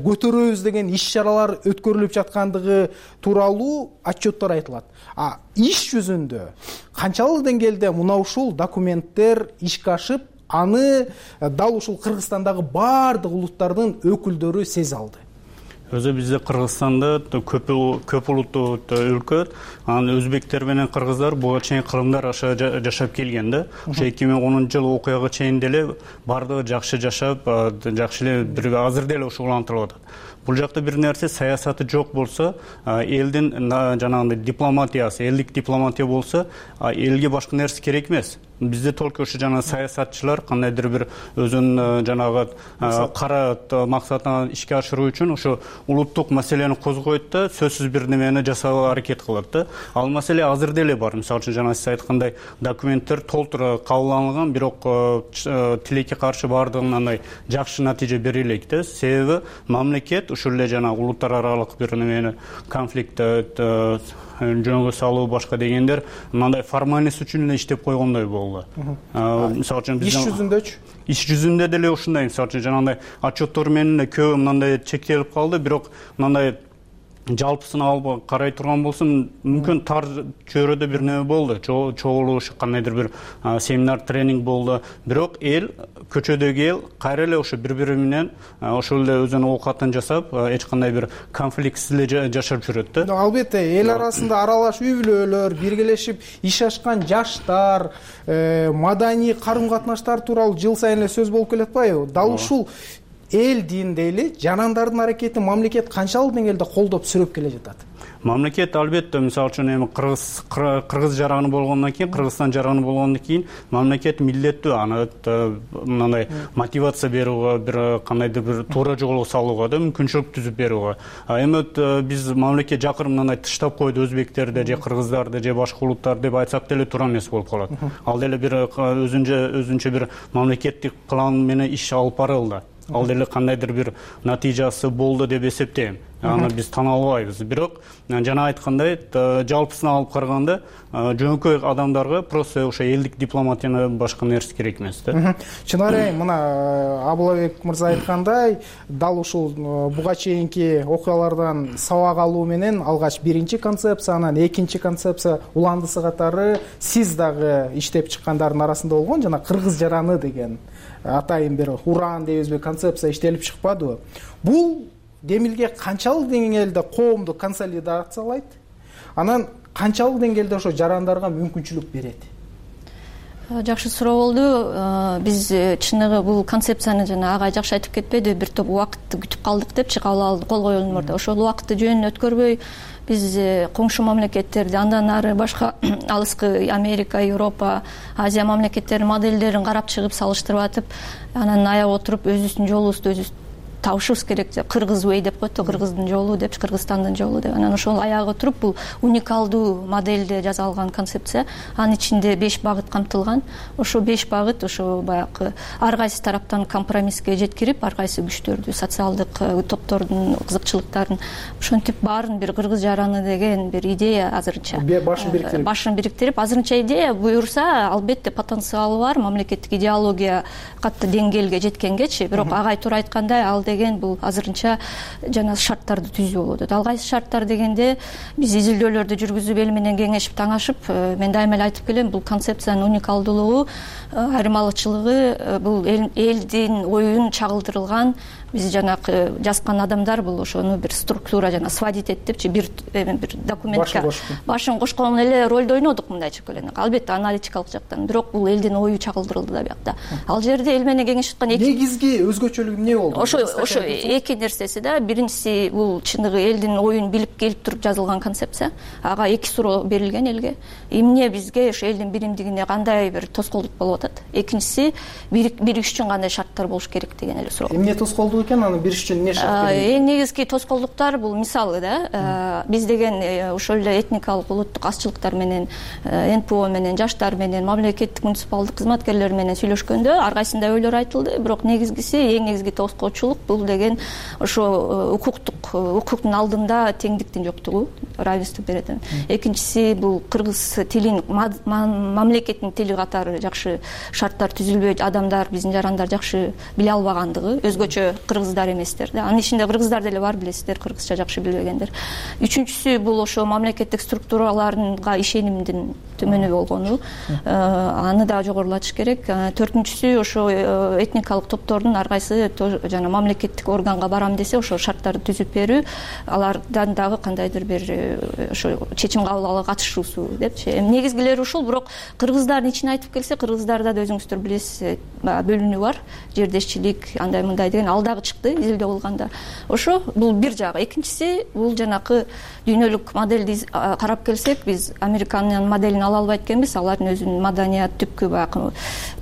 көтөрөбүз деген иш-чаралар өткөрүлүп жаткандыгы тууралуу отчеттор айтылат. А иш жүзүндө канчалык деңгээлде мына ушул документтер ишке ашып, аны дал ушул Кыргызстандагы баардык улуттардын өкүлдөрү сезе алды? Өзү бизде Кыргызстанда көп көп улуттуу өлкө, анан өзбектер менен кыргыздар буга чейин кырымдар аша жашап келген да. Ошо эки миң онунчу жылы окуяга чейин деле бардыгы жакшы жашап, жакшы эле бир азыр деле ушулантырып атат. Бул жакта бир нерсе саясаты жок болсо, элдин жанагындай дипломатиясы, элдик дипломатия болсо, элге башка нерсе керек эмес. Бизде только ошо жана саясатчылар кандайдыр бир өзүнүн жанагы кара максатын ишке ашыруу үчүн ошо улуттук маселени козгойт да, сөзсүз бир немени жасаага аракет кылат да. Ал маселе азыр деле бар. Мисалы үчүн жана сиз айткандай документтер толтура кабыл алынган, бирок тилекке каршы бардыгын андай жакшы натыйжа бере элек да. Себеби мамлекет ушул эле жана улуттар аралык бир немени конфликтти жөнгө салуу башка дегендер мындай формальность үчүн эле иштеп койгондой болду. Мисалы үчүн иш жүзүндөчү? Иш жүзүндө деле ушундай, мисалы үчүн жанагындай отчеттор менен көбү мындай чектелип калды, бирок мындай жалпысын алып карай турган болсом, мүмкүн тар чөйрөдө бир неме болду, чогулуш, кандайдыр бир семинар, тренинг болду. Бирок эл, көчөдөгү эл кайра эле ошо бири-бири менен ошол эле өзүнүн оокатын жасап, эч кандай бир конфликтсиз эле жашап жүрөт да. Албетте, эл арасында аралаш үй-бүлөлөр, биргелешип иш ашкан жаштар, маданий карым-катнаштар тууралуу жыл сайын эле сөз болуп келе атпайбы? Дал ушул эл дин дейли, жанандардын аракетин мамлекет канчалык деңгээлде колдоп сүрөп келе жатат? Мамлекет албетте мисалы үчүн эми кыргыз кыргыз жараны болгондон кийин, Кыргызстан жараны болгондон кийин мамлекет милдеттүү аны мындай мотивация берүүгө, бир кандайдыр бир туура жолго салууга да мүмкүнчүлүк түзүп берүүгө. Эми биз мамлекет жакыр мындай тыштап койду өзбектерди же кыргыздарды же башка улуттар деп айтсак деле туура эмес болуп калат. Ал деле бир өзүнчө өзүнчө бир мамлекеттик план менен иш алып барылды. Ал деле кандайдыр бир натыйжасы болду деп эсептейм. Аны биз тана албайбыз. Бирок жана айткандай, жалпысына алып караганда жөнөкөй адамдарга просто ошо элдик дипломатияны башка нерсе керек эмес да. Чынары мына Абылбек мырза айткандай, дал ушул буга чейинки окуялардан сабак алуу менен алгач биринчи концепция, анан экинчи концепция уландысы катары сиз дагы иштеп чыккандардын арасында болгон жана кыргыз жараны деген атайын бир уран дейбизби концепция иштелип чыкпадыбы? Бул демилге канчалык деңгээлде коомду консолидациялайт, анан канчалык деңгээлде ошо жарандарга мүмкүнчүлүк берет? Жакшы суроо болду. Биз чыныгы бул концепцияны жана ага жакшы айтып кетпеди, бир топ убакытты күтүп калдык депчи, кол койгон мурда. Ошол убакытты жөнүнөн өткөрбөй биз коңшу мамлекеттерди, андан ары башка алыскы Америка, Европа, Азия мамлекеттеринин модельдерин карап чыгып салыштырып атып, анан аяп отуруп өзүбүздүн жолубузду өзүбүз табышыбыз керек. Кыргыз вей деп коет, Кыргыздын жолу деп, Кыргызстандын жолу деп. Анан ошол аягы туруп бул уникалдуу модельде жасалган концепция. Анын ичинде беш багыт камтылган. Ошо беш багыт ошо баягы ар кайсы тараптан компромисске жеткирип, ар кайсы күчтөрдү, социалдык топтордун кызыкчылыктарын ошентип баарын бир кыргыз жараны деген бир идея азырынча башын бириктирип башын бириктирип азырынча идея буюрса, албетте потенциалы бар, мамлекеттик идеология катты деңгээлге жеткенгечи, бирок агай туура айткандай, ал деген бул азырынча жана шарттарды түзүү болот. Ал кайсы шарттар дегенде биз изилдөөлөрдү жүргүзүп эл менен кеңешип таңашып, мен дайыма эле айтып келем, бул концепциянын уникалдуулугу, айырмалычылыгы бул элдин оюн чагылдырылган, биз жанагы жазган адамдар бул ошону бир структура жана сводить этипчи бир бир документке башын кошкон эле ролду ойнодук мындайча келгенде. Албетте аналитикалык жактан, бирок бул элдин ою чагылдырылды да биякта. Ал жерде эл менен кеңешип аткан эки негизги өзгөчөлүгү эмне болду? Ошо ошо эки нерсеси да. Биринчиси бул чыныгы элдин оюн билип келип туруп жазылган концепция. Ага эки суроо берилген элге. Эмне бизге ошо элдин биримдигине кандай бир тоскоолдук болуп атат? Экинчиси биригиш үчүн кандай шарттар болуш керек деген эле суроо. Эмне тоскоолдук экен, аны бириш үчүн эмне шарт керек? Эң негизги тоскоолдуктар бул мисалы да, биз деген ошол эле этникалык улуттук азчылыктар менен, эн пэ о менен, жаштар менен, мамлекеттик муниципалдык кызматкерлер менен сүйлөшкөндө ар кайсында ойлор айтылды, бирок негизгиси, эң негизги тоскоочулук бул деген ошо укуктук, укуктун алдында теңдиктин жоктугу, равенство берет. Экинчиси бул кыргыз тилин, мамлекеттин тили катары жакшы шарттар түзүлбөй, адамдар, биздин жарандар жакшы биле албагандыгы, өзгөчө кыргыздар эместер да. Анын ичинде кыргыздар деле бар, билесиздер, кыргызча жакшы билбегендер. Үчүнчүсү бул ошо мамлекеттик структураларга ишенимдин төмөнү болгону, аны да жогорулатыш керек. Төртүнчүсү ошо этникалык топтордун ар кайсы жана мамлекеттик органга барам десе, ошо шарттарды түзүп берүү, алардан дагы кандайдыр бир ошо чечим кабыл алууга катышуусу депчи. Негизгилери ушул, бирок кыргыздардын ичине айтып келсе, кыргыздарда да өзүңүздөр билесиз, бөлүнүү бар, жердешчилик, андай мындай деген ал дагы чыкты изилдөө болгондо. Ошо бул бир жагы. Экинчиси бул жанакы дүйнөлүк модельди карап келсек, биз Американын моделин ала албайт экенбиз. Алардын өзүнүн маданият түпкү баягы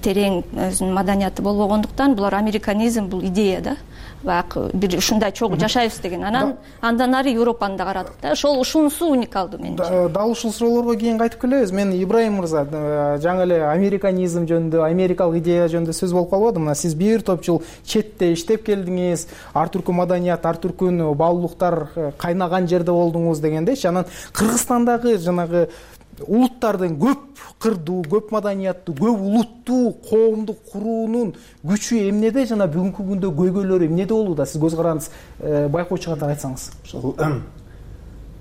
терең өзүнүн маданияты болбогондуктан, булар американизм, бул идея да. Баягы бир ушундай чогуу жашайбыз деген. Анан андан ары Европаны да карадык да. Ошол ушунусу уникалдуу менимче. Дал ушул суроолорго кийин кайтып келебиз. Мен Ибрайым мырза, жаңы эле американизм жөнүндө, америкалык идея жөнүндө сөз болуп калбады. Мына сиз бир топ жыл четте иштеп келдиңиз, ар түркү маданият, ар түркү баалуулуктар кайнаган жерде болдуңуз дегендейчи. Анан Кыргызстандагы жанагы улуттардын көп кырдуу, көп маданияттуу, көп улуттуу коомду куруунун күчү эмнеде жана бүгүнкү күндө көйгөйлөрү эмнеде болууда? Сиз көз каранды байкоочу кандай айтсаңыз.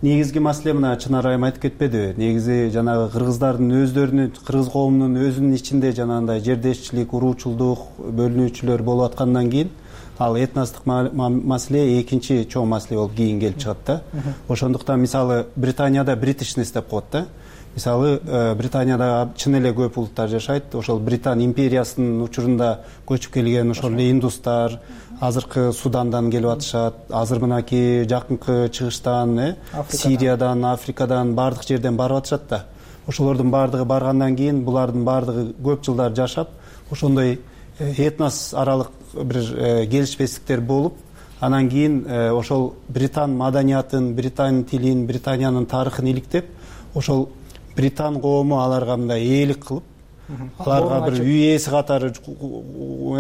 Негизги маселе мына Чынар айым айтып кетпеди. Негизи жанагы кыргыздардын өздөрүнүн, кыргыз коомунун өзүнүн ичинде жанагындай жердешчилик, уруучулдук, бөлүнүүчүлөр болуп аткандан кийин ал этностук маселе экинчи чоң маселе болуп кийин келип чыгат да. Ошондуктан мисалы Британияда бритишнес деп коет да. Мисалы Британияда чын эле көп улуттар жашайт. Ошол Британ империясынын учурунда көчүп келген ошол эле индустар азыркы Судандан келип атышат. Азыр мынакей жакынкы чыгыштан, э, Сириядан, Африкадан, бардык жерден барып атышат да. Ошолордун бардыгы баргандан кийин булардын бардыгы көп жылдар жашап, ошондой этнос аралык бир келишпестиктер болуп, анан кийин ошол Британ маданиятын, Британ тилин, Британиянын тарыхын иликтеп, ошол Британ коому аларга мындай ээлик кылып, аларга бир үй ээси катары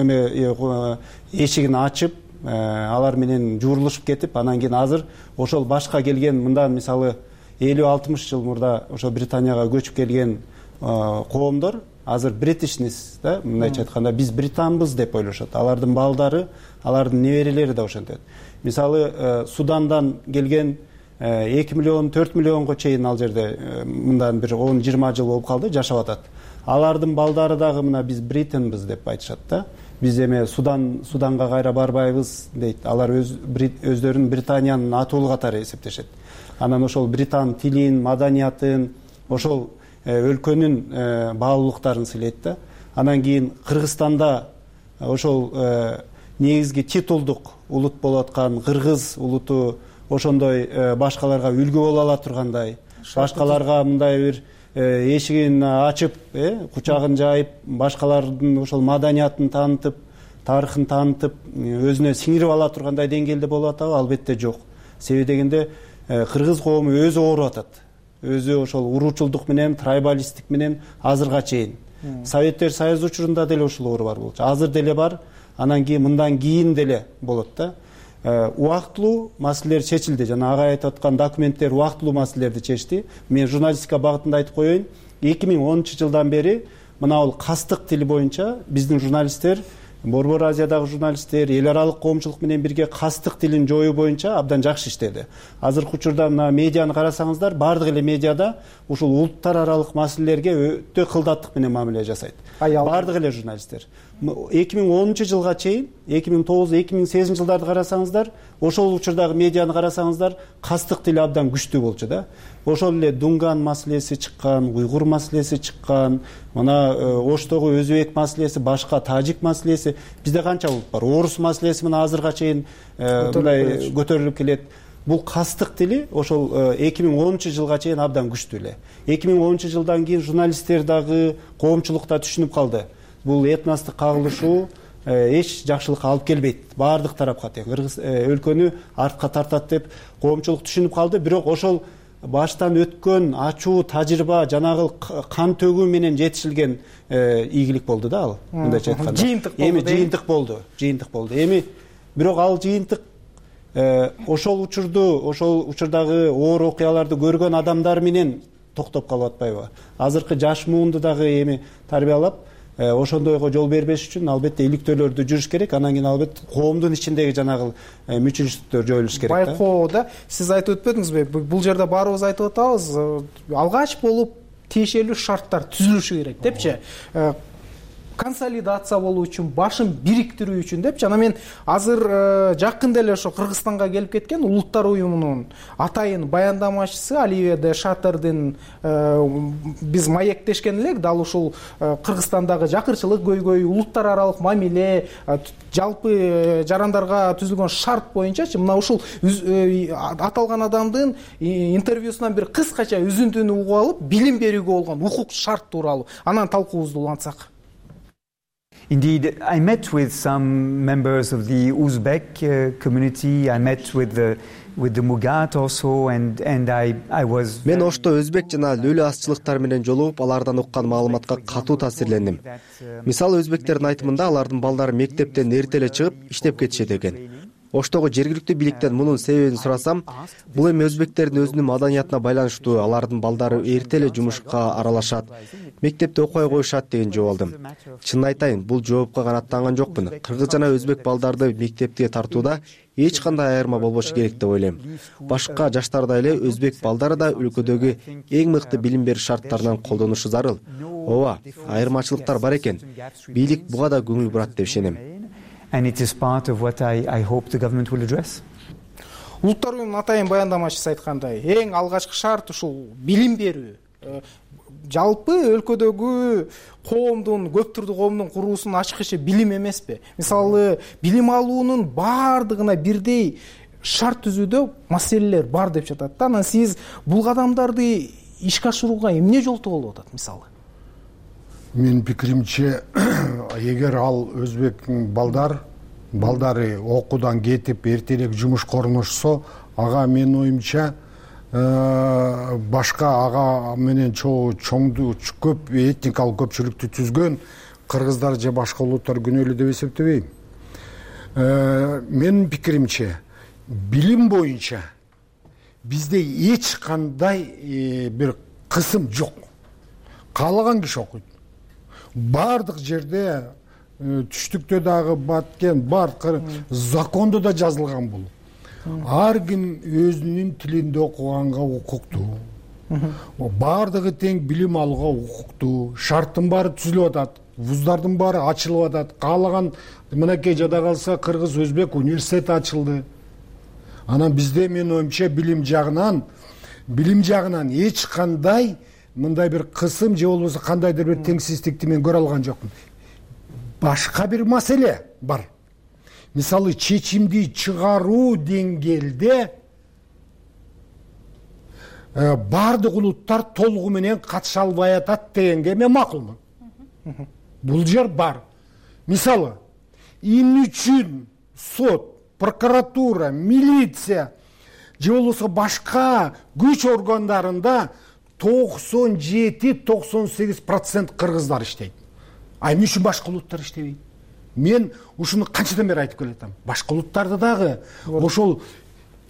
эме эшигин ачып, алар менен журулушуп кетип, анан кийин азыр ошол башка келген мындан мисалы элүү алтымыш жыл мурда ошо Британияга көчүп келген коомдор азыр бритишнес да, мындайча айтканда биз британбыз деп ойлошот. Алардын балдары, алардын неберелери да ошентет. Мисалы Судандан келген эки миллион, төрт миллионго чейин ал жерде мындан бир он жыйырма жыл болуп калды, жашап атат. Алардын балдары дагы мына биз британбыз деп айтышат да. Биз эме Судан Суданга кайра барбайбыз дейт. Алар өз өздөрүн Британиянын атуулу катары эсептешет. Анан ошол Британ тилин, маданиятын, ошол өлкөнүн баалуулуктарын сыйлайт да. Анан кийин Кыргызстанда ошол негизги титулдук улут болуп аткан кыргыз улуту ошондой башкаларга үлгү боло ала тургандай, башкаларга мындай бир эшигин ачып, кучагын жайып, башкалардын ошол маданиятын таанытып, тарыхын таанытып, өзүнө сиңирип ала тургандай деңгээлде болуп атабы? Албетте жок. Себеби дегенде кыргыз коому өзү ооруп атат. Өзү ошол уруучулдук менен, трайбалисттик менен азырга чейин. Советтер Союзу учурунда деле ушул оору бар болчу. Азыр деле бар, анан кийин мындан кийин деле болот да. Убактылуу маселелер чечилди. Жана агай айтып аткан документтер убактылуу маселелерди чечти. Мен журналистика багытында айтып коеюн. эки миң онунчу жылдан бери мына бул кастык тили боюнча биздин журналисттер, Борбор Азиядагы журналисттер эл аралык коомчулук менен бирге кастык тилин жоюу боюнча абдан жакшы иштеди. Азыркы учурда мына медианы карасаңыздар, бардык эле медиада ушул улуттар аралык маселелерге өтө кылдаттык менен мамиле жасайт. Бардык эле журналисттер. эки миң онунчу жылга чейин, эки миң тогуз, эки миң сегизинчи жылдарды карасаңыздар, ошол учурдагы медианы карасаңыздар, кастык тили абдан күчтүү болчу да. Ошол эле Дунган маселеси чыккан, Уйгур маселеси чыккан, мына Оштогу өзбек маселеси, башка тажик маселеси, бизде канча улут бар. Орус маселеси мына азырга чейин мындай көтөрүлүп келет. Бул кастык тили ошол эки миң онунчу жылга чейин абдан күчтүү эле. эки миң онунчу жылдан кийин журналисттер дагы, коомчулук да түшүнүп калды. Бул этностук кагылышуу эч жакшылыкка алып келбейт. Бардык тарапка тең кыргыз өлкөнү артка тартат деп коомчулук түшүнүп калды. Бирок ошол баштан өткөн ачуу тажрыйба, жанагы кан төгүү менен жетишилген ийгилик болду да ал. Мындайча айтканда. Эми жыйынтык болду, жыйынтык болду. Эми бирок ал жыйынтык ошол учурду, ошол учурдагы оор окуяларды көргөн адамдар менен токтоп калып атпайбы? Азыркы жаш муунду дагы эми тарбиялап, ошондойго жол бербеш үчүн албетте иликтөөлөрдү жүрүш керек. Анан кийин албетте коомдун ичиндеги жанагы мүчүлүштүктөр жоюлуш керек да. Байкоо да, сиз айтып өтпөдүңүзбү? Бул жерде баарыбыз айтып атабыз, алгач болуп тиешелүү шарттар түзүлүшү керек депчи. Консолидация болуу үчүн, башын бириктирүү үчүн депчи. Жана мен азыр жакында эле ошо Кыргызстанга келип кеткен Улуттар уюмунун атайын баяндамачысы Оливия де Шаттердин биз маектешкен элек, дал ушул Кыргызстандагы жакырчылык көйгөй, улуттар аралык мамиле, жалпы жарандарга түзүлгөн шарт боюнчачы мына ушул аталган адамдын интервьюсунан бир кыскача үзүндүнү угуп алып, билим берүүгө болгон укук шарт тууралуу анан талкуубузду улантсак. Indeed, I met with some members of the Uzbek uh, community. I met with the with the Mugat also, and and I I was. Мен Ошто өзбек жана лөлө азчылыктар менен жолугуп, алардан уккан маалыматка катуу таасирлендим. Мисалы, өзбектердин айтымында алардын балдары мектептен эрте эле чыгып иштеп кетишет экен. Оштогу жергиликтүү бийликтен мунун себебин сурасам, бул эми өзбектердин өзүнүн маданиятына байланыштуу, алардын балдары эрте эле жумушка аралашат, мектепте окуй коюшат деген жооп алдым. Чынын айтайын, бул жоопко канааттанган жокмун. Кыргыз жана өзбек балдарды мектепке тартууда эч кандай айырма болбошу керек деп ойлойм. Башка жаштардай эле өзбек балдары да өлкөдөгү эң мыкты билим берүү шарттарынан колдонушу зарыл. Ооба, айырмачылыктар бар экен. Бийлик буга да көңүл бурат деп ишенем. and it is part of what I, I hope the government will address. Улуттар уюмунун атайын баяндамачысы айткандай, эң алгачкы шарт ушул билим берүү. Жалпы өлкөдөгү коомдун, көп түрдүү коомдун куруусунун ачкычы билим эмеспи? Мисалы, билим алуунун баардыгына бирдей шарт түзүүдө маселелер бар деп жатат да. Анан сиз бул кадамдарды ишке ашырууга эмне жолтоо болуп атат мисалы? Менин пикиримче, эгер ал өзбектин балдар балдары окуудан кетип эртерээк жумушка орношсо, ага менин оюмча башка ага менен чоңду көп этникалык көпчүлүктү түзгөн кыргыздар же башка улуттар күнөөлүү деп эсептебейм. Менин пикиримче, билим боюнча бизде эч кандай бир кысым жок. Каалаган киши окуйт. Бардык жерде түштүктө дагы баткен бар закондо да жазылган бул. Ар ким өзүнүн тилинде окуганга укуктуу. Бардыгы тең билим алууга укуктуу. Шарттын баары түзүлүп атат. Вуздардын баары ачылып атат. Каалаган мынакей жада калса кыргыз өзбек университети ачылды. Анан бизде менин оюмча билим жагынан билим жагынан эч кандай мындай бир кысым же болбосо кандайдыр бир теңсиздикти мен көрө алган жокмун. Башка бир маселе бар. Мисалы, чечимди чыгаруу деңгээлде бардык улуттар толугу менен катыша албай атат дегенге мен макулмун. Бул жер бар. Мисалы, эмне үчүн сот, прокуратура, милиция же болбосо башка күч органдарында токсон жети токсон сегиз процент кыргыздар иштейт. А эмне үчүн башка улуттар иштебейт? Мен ушуну канчадан бери айтып келатам. Башка улуттарды дагы ошол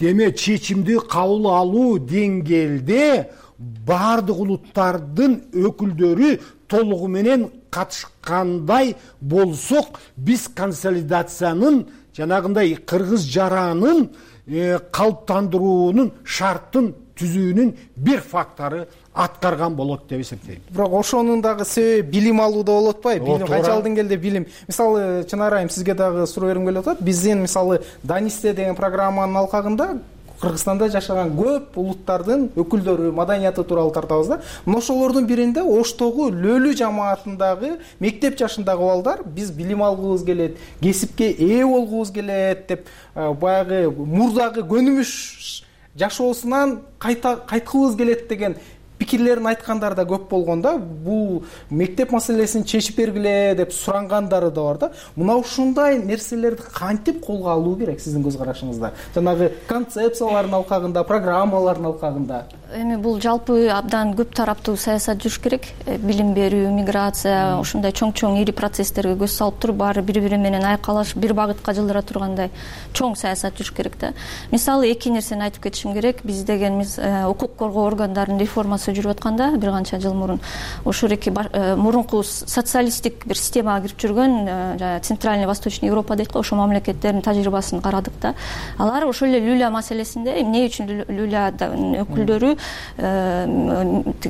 деме чечимди кабыл алуу деңгээлде бардык улуттардын өкүлдөрү толугу менен катышкандай болсок, биз консолидациянын жанагындай кыргыз жаранын калыптандыруунун шарттын түзүүнүн бир фактору аткарган болот деп эсептейм. Бирок ошонун дагы себеби билим алууда болуп атпайбы? Билим канчалык деңгээлде билим. Мисалы, Чынар айым, сизге дагы суроо бергим келип атат. Биздин мисалы Данисте деген программанын алкагында Кыргызстанда жашаган көп улуттардын өкүлдөрү, маданияты тууралуу тартабыз да. Мына ошолордун биринде Оштогу Лөлү жамаатындагы мектеп жашындагы балдар биз билим алгыбыз келет, кесипке ээ болгубуз келет деп баягы мурдагы көнүмүш жашоосунан кайткыбыз келет деген пикирлерин айткандар да көп болгондо, бул мектеп маселесин чечип бергиле деп сурангандары да бар да. Мына ушундай нерселерди кантип колго алуу керек сиздин көз карашыңызда? Жанагы концепциялардын алкагында, программалардын алкагында. Эми бул жалпы абдан көп тараптуу саясат жүрүш керек. Билим берүү, миграция, ушундай чоң-чоң ири процесстерге көз салып туруп, баары бири-бири менен айкалашып, бир багытка жылдыра тургандай чоң саясат жүрүш керек да. Мисалы, эки нерсени айтып кетишим керек. Биз дегенибиз укук коргоо органдарынын реформасы жүрүп атканда бир канча жыл мурун ошол эки мурунку социалисттик бир системага кирип жүргөн Центральный Восточный Европа дейт го, ошол мамлекеттердин тажрыйбасын карадык да. Алар ошол эле Люля маселесинде эмне үчүн Люлядын өкүлдөрү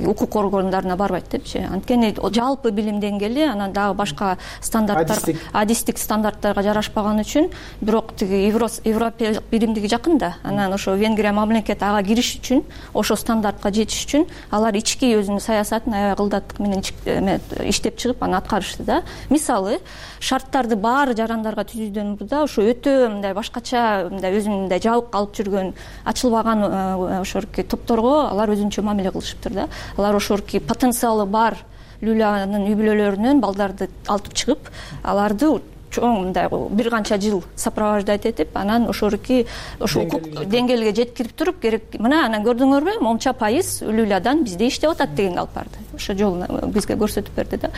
укук органдарына барбайт депчи. Анткени жалпы билим деңгээли, анан дагы башка стандарттар, адистик стандарттарга жарашпаган үчүн, бирок тиги европалык биримдиги жакын да. Анан ошо Венгрия мамлекети ага кириш үчүн, ошо стандартка жетиш үчүн алар ички өзүнүн саясатын аябай ылдаттык менен иштеп чыгып аны аткарышты да. Мисалы, шарттарды баары жарандарга түзүүдөн мурда ошо өтө мындай башкача, мындай өзүнүн мындай жабык алып жүргөн, ачылбаган ошорки топторго алар өзүнчө мамиле кылышыптыр да. Алар ошорки потенциалы бар Люлянын үй-бүлөлөрүнөн балдарды алып чыгып, аларды чоң мындай бир канча жыл сопровождать этип, анан ошорки ошо укук деңгээлге жеткирип туруп, керек мына анан көрдүңөрбү, монча пайыз Люлядан бизде иштеп атат дегенди алып барды. Ошо жолун бизге көрсөтүп берди да.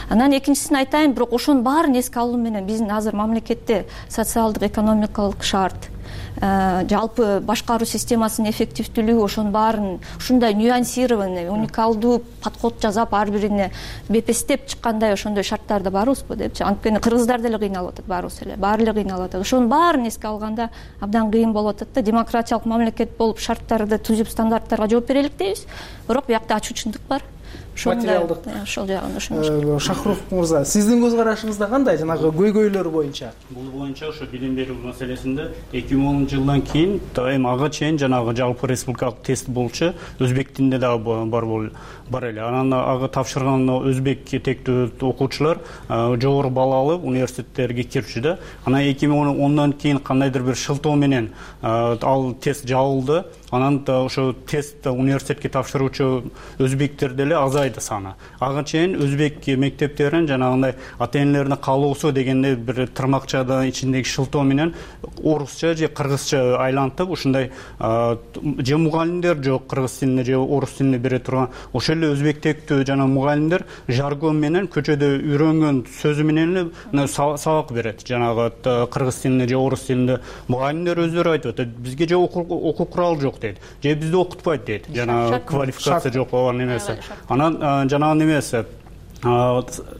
Анан экинчисин айтайын, бирок ошонун баарын эске алуу менен биздин азыр мамлекетте социалдык, экономикалык шарт, жалпы башкаруу системасынын эффективдүүлүгү, ошонун баарын ушундай нюансированный, уникалдуу подход жасап, ар бирине бепестеп чыккандай ошондой шарттарда барбызбы депчи. Анткени кыргыздар деле кыйналып атат, баарыбыз эле, баары эле кыйналып атат. Ошонун баарын эске алганда абдан кыйын болуп атат да. Демократиялык мамлекет болуп шарттарды түзүп, стандарттарга жооп берелик дейбиз, бирок биякта ачуучундук бар. материалдык ошол жагын ошо. Шахрух мырза, сиздин көз карашыңызда кандай жанагы көйгөйлөр боюнча? Бул боюнча ошо билим берүү маселесинде эки миң онунчу жылдан кийин эми ага чейин жанагы жалпы республикалык тест болчу өзбек тилинде дагы бар бар эле. Анан ага тапшырган өзбек тектүү окуучулар жогору балл алып университеттерге кирчү да. Анан эки миң ондан кийин кандайдыр бир шылтоо менен ал тест жабылды. Анан ошо тест университетке тапшыруучу өзбектер деле азайды саны. Ага чейин өзбек мектептерин жанагындай ата энелердин каалоосу дегенде бир тырмакчада ичиндеги шылтоо менен орусча же кыргызча айлантып ушундай же мугалимдер жок кыргыз тилинде же орус тилинде бере турган ошол эле өзбек тектүү жана мугалимдер жаргон менен көчөдө үйрөнгөн сөзү менен эле сабак берет. Жанагы кыргыз тилинде же орус тилинде мугалимдер өздөрү айтып атат, бизге же окуу куралы жок дейт, же бизди окутпайт дейт, жана квалификация жок болгон эмеси. Анан жанагы немеси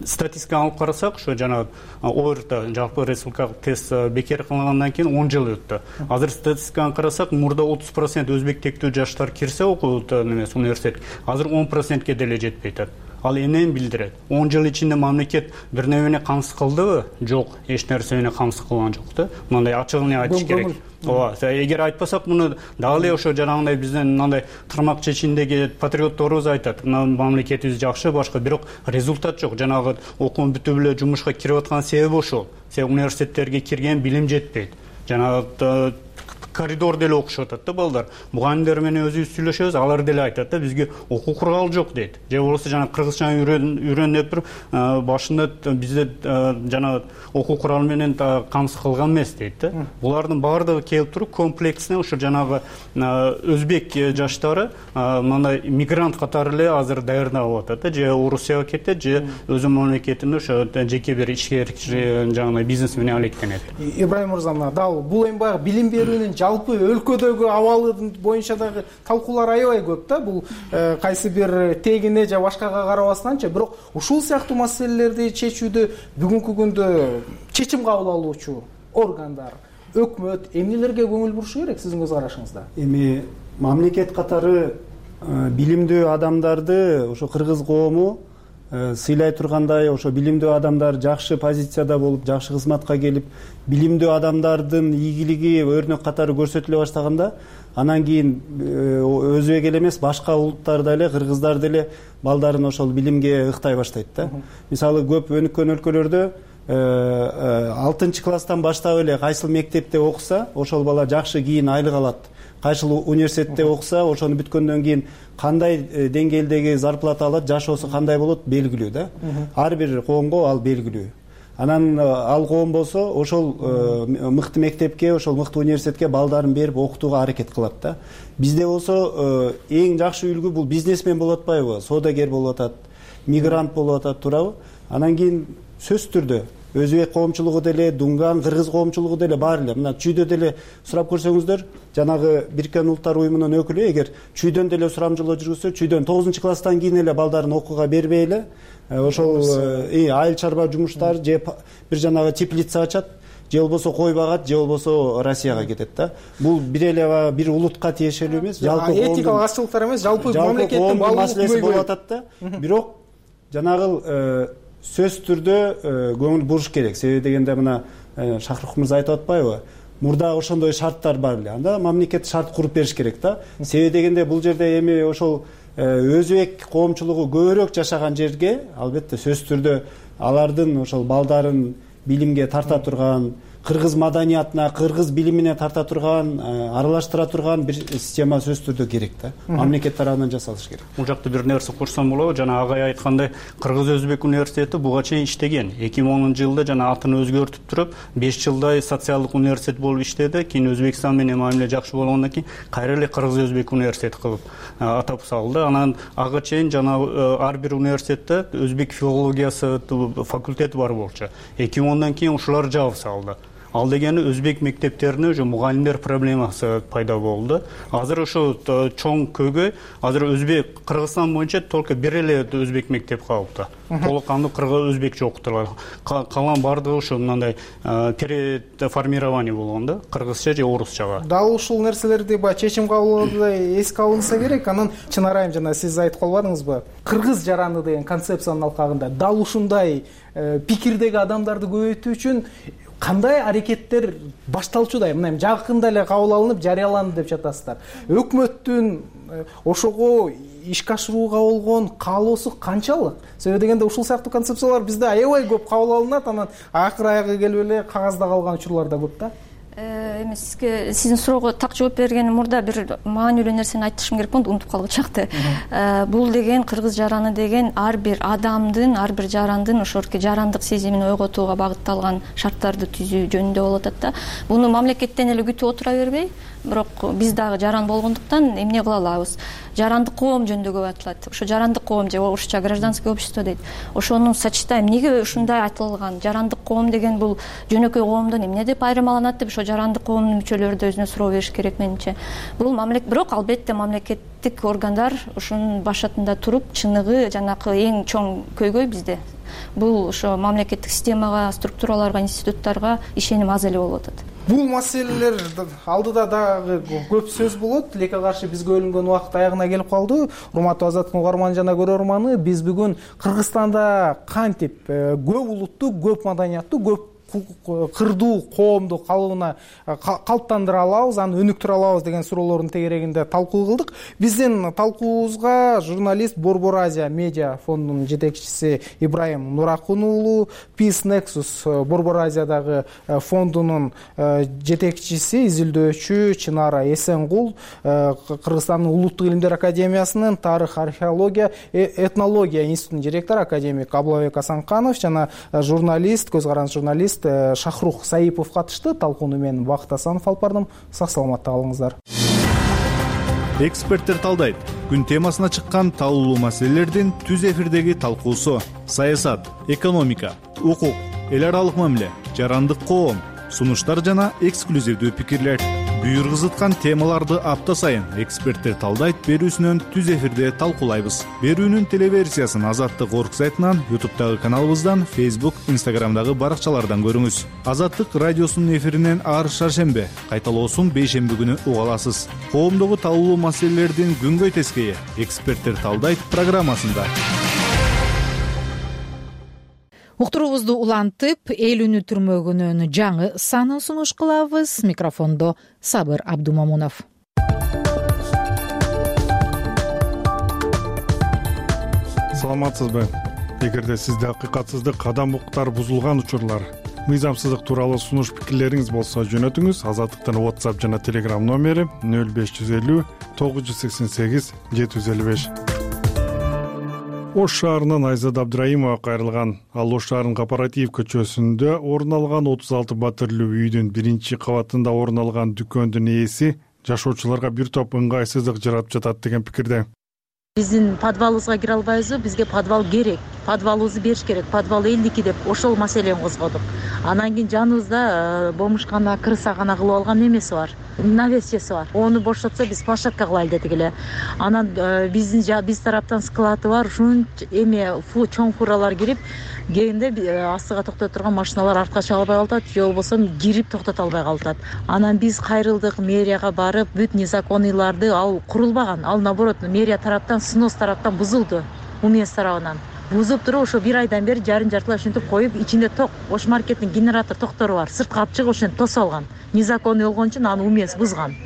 статистиканы алып карасак, ошо жана орто жалпы республикалык тест бекер кылынгандан кийин он жыл өттү. Азыр статистиканы карасак, мурда отуз процент өзбек тектүү жаштар кирсе окуут немеси университет, азыр он процентке деле жетпей атат. Ал эмнени билдирет? он жыл ичинде мамлекет бир нерсени камсыз кылдыбы? Жок, эч нерсе менен камсыз кылган жок да. Мындай ачыгын айтыш керек. Ооба, эгер айтпасак, муну дагы эле ошо жанагындай биздин мындай тырмакча ичиндеги патриотторубуз айтат, мамлекетибиз жакшы, башка, бирок результат жок. Жанагы окуун бүтүп эле жумушка кирип аткан себеби ошол. Себеби университеттерге кирген билим жетпейт. Жанагы коридор деле окушуп атат да балдар. Мугалимдер менен өзүбүз сүйлөшөбүз, алар деле айтат да, бизге окуу куралы жок дейт. Же болбосо жана кыргызчаны үйрөн деп туруп, башында бизде жана окуу куралы менен камсыз кылган эмес дейт да. Булардын баардыгы келип туруп комплексно ошо жанагы өзбек жаштары мындай мигрант катары эле азыр даярдалып атат да, же Орусияга кетет, же өзү мамлекетинде ошо жеке бир ишкер жана бизнес менен алектенет. Ибраим мырза, дал бул эми баягы билим берүүнүн жалпы өлкөдөгү абалы боюнча дагы талкуулар аябай көп да. Бул кайсы бир тегине же башкага карабастанчы, бирок ушул сыяктуу маселелерди чечүүдө бүгүнкү күндө чечим кабыл алуучу органдар, өкмөт эмнелерге көңүл бурушу керек сиздин көз карашыңызда? Эми мамлекет катары билимдүү адамдарды ошо кыргыз коому сыйлай тургандай, ошо билимдүү адамдар жакшы позицияда болуп, жакшы кызматка келип, билимдүү адамдардын ийгилиги өрнөк катары көрсөтүлө баштаганда, анан кийин өзбек эле эмес, башка улуттар деле, кыргыздар деле балдарын ошол билимге ыктай баштайт да. Мисалы, көп өнүккөн өлкөлөрдө алтынчы класстан баштап эле кайсыл мектепте окуса, ошол бала жакшы кийин айлык алат. Кайсыл университетте окуса, ошону бүткөндөн кийин кандай деңгээлдеги зарплата алат, жашоосу кандай болот белгилүү да. Ар бир коомго ал белгилүү. Анан ал коом болсо ошол мыкты мектепке, ошол мыкты университетке балдарын берип окутууга аракет кылат да. Бизде болсо эң жакшы үлгү бул бизнесмен болуп атпайбы, соодагер болуп атат, мигрант болуп атат, туурабы? Анан кийин сөзсүз түрдө өзбек коомчулугу деле, дунган, кыргыз коомчулугу деле бар эле. Мына чүйдө деле сурап көрсөңүздөр, жанагы Бириккен Улуттар уюмунун өкүлү эгер чүйдөн деле сурамжылоо жүргүзсө, чүйдөн тогузунчу класстан кийин эле балдарын окууга бербей эле, ошол айыл чарба жумуштар же бир жанагы теплица ачат, же болбосо кой багат, же болбосо Россияга кетет да. Бул бир эле бир улутка тиешелүү эмес, жалпы этикалык ачылыктар эмес, жалпы мамлекеттин маселеси болуп атат да. Бирок жанагы сөзсүз түрдө көңүл буруш керек. Себеби дегенде мына Шахрух мырза айтып атпайбы? Мурда ошондой шарттар бар эле. Анда мамлекет шарт куруп бериш керек да. Себеби дегенде бул жерде эми ошол өзбек коомчулугу көбүрөөк жашаган жерге, албетте сөзсүз түрдө алардын ошол балдарын билимге тарта турган, кыргыз маданиятына, кыргыз билимине тарта турган, аралаштыра турган бир система сөзсүз түрдө керек да. Мамлекет тарабынан жасалыш керек. Бул жакта бир нерсе кошсом болобу? Жана агай айткандай, Кыргыз Өзбек университети буга чейин иштеген. эки миң онунчу жылда жана атын өзгөртүп туруп, беш жылдай социалдык университет болуп иштеди. Кийин Өзбекстан менен мамиле жакшы болгондон кийин кайра эле Кыргыз Өзбек университети кылып атап салды. Анан ага чейин жана ар бир университетте өзбек филологиясы факультети бар болчу. эки миң ондан кийин ушулар жабып салды. ал дегени өзбек мектептерине уже мугалимдер проблемасы пайда болду. Азыр ошо чоң көйгөй азыр өзбек Кыргызстан боюнча только бир эле өзбек мектеп калыпты. Толук кандуу кыргыз өзбекче окутулат. Калган баардыгы ошо мындай переформирование болгон да, кыргызча же орусчага. Дал ушул нерселерди баягы чечим кабыл кылганда эске алынса керек. Анан Чынар айым жана сиз айтып калбадыңызбы? Кыргыз жараны деген концепциянын алкагында дал ушундай пикирдеги адамдарды көбөйтүү үчүн кандай аракеттер башталчудай? Мына жакында эле кабыл алынып жарыяланды деп жатасыздар. Өкмөттүн ошого ишке ашырууга болгон каалоосу канчалык? Себеби дегенде ушул сыяктуу концепциялар бизде аябай көп кабыл алынат, анан акыр аягы келип эле кагазда калган учурлар да көп да. Эми сизге сиздин суроого так жооп бергендин мурда бир маанилүү нерсени айтышым керек болду, унутуп калгычакты. Бул деген кыргыз жараны деген ар бир адамдын, ар бир жарандын ошорки жарандык сезимин ойготууга багытталган шарттарды түзүү жөнүндө болуп атат да. Буну мамлекеттен эле күтүп отура бербей, бирок биз дагы жаран болгондуктан эмне кыла алабыз? Жарандык коом жөнүндө көп айтылат. Ошо жарандык коом же орусча гражданское общество дейт. Ошону сочетаем. Эмнеге ушундай айтылган? Жарандык коом деген бул жөнөкөй коомдон эмне деп айырмаланат деп ошо жарандык коомдун мүчөлөрү да өзүнө суроо бериш керек менимче. Бул мамлекет, бирок албетте мамлекеттик органдар ушунун башатында туруп, чыныгы жанакы эң чоң көйгөй бизде. Бул ошо мамлекеттик системага, структураларга, институттарга ишеним аз эле болуп атат. Бул маселелер алдыда дагы көп сөз болот. Тилекке каршы бизге бөлүнгөн убакыт аягына келип калды. Урматтуу Азаттыктын угарманы жана көрөрманы, биз бүгүн Кыргызстанда кантип көп улуттуу, көп маданияттуу, көп кырдуу коомду калыбына калыптандыра алабыз, аны өнүктүрө алабыз деген суроолордун тегерегинде талкуу кылдык. Биздин талкуубузга журналист Борбор Азия медиа фондунун жетекчиси Ибраим Нуракун уулу, Peace Nexus Борбор Азиядагы фондунун жетекчиси, изилдөөчү Чынара Эсенгул, Кыргызстандын Улуттук илимдер академиясынын тарых, археология, этнология институтунун директору академик Аблабек Асанканов жана журналист, көз каранды журналист Шахрух Саипов катышты. Талкууну мен Бакыт Асанов алып бардым. Сак саламатта калыңыздар. Эксперттер талдайт. Күн темасына чыккан талуулуу маселелердин түз эфирдеги талкуусу: саясат, экономика, укук, эл аралык мамиле, жарандык коом, сунуштар жана эксклюзивдүү пикирлер. Буйргызыткан темаларды апта сайын эксперттер талдайт берүүсүнөн түз эфирде талкуулайбыз. Берүүнүн телеверсиясын Азаттык орг сайтынан, ютубтагы каналыбыздан, Facebook, Instagramдагы баракчалардан көрүңүз. Азаттык радиосунун эфиринен ар шаршембе, кайталоосун бейшемби күнү уга аласыз. Коомдогу талуулуу маселелердин күнгөй тескейи эксперттер талдайт программасында. Уктуруубузду улантып, эл өнүктүрмөгүнүн жаңы санын сунуш кылабыз. Микрофондо Сабыр Абдумамунов. Саламатсызбы? Эгерде сизде акыйкатсыздык, адам укуктары бузулган учурлар, мыйзамсыздык тууралуу сунуш пикирлериңиз болсо жөнөтүңүз. Азаттыктын WhatsApp жана Telegram номери нөл беш жүз элүү тогуз жүз сексен сегиз жети жүз элүү беш. Ош шаарынан Айзада Абдраимова кайрылган. Ал Ош шаарынын Кооператив көчөсүндө орун алган отуз алты батырлуу үйдүн биринчи кабатында орун алган дүкөндүн ээси жашоочуларга бир топ ыңгайсыздык жаратып жатат деген пикирде. Биздин подвалыбызга кире албайбызбы? Бизге подвал керек. Подвалыбызды бериш керек. Подвал элдики деп ошол маселени козгодук. Анан кийин жаныбызда бомушкана, крысакана кылып алган эмеси бар. Навесчеси бар. Ону бошотсо биз площадка кылайлы дедик эле. Анан биздин биз тараптан склады бар. Ушун эме чоң фуралар кирип, кийинде астыга токтото турган машиналар артка чыга албай калат, же болбосо кирип токтото албай калат. Анан биз кайрылдык, мэрияга барып, бүт незаконийларды ал курулбаган. Ал наоборот мэрия тараптан, снос тараптан бузулду. УМС тарабынан бузуп туруп, ошо бир айдан бери жарын жартылай ушинтип коюп, ичинде ток, Ош маркеттин генератор токтору бар. Сыртка алып чыгып ошентип тосуп алган. Незаконный болгон үчүн аны УМС бузган.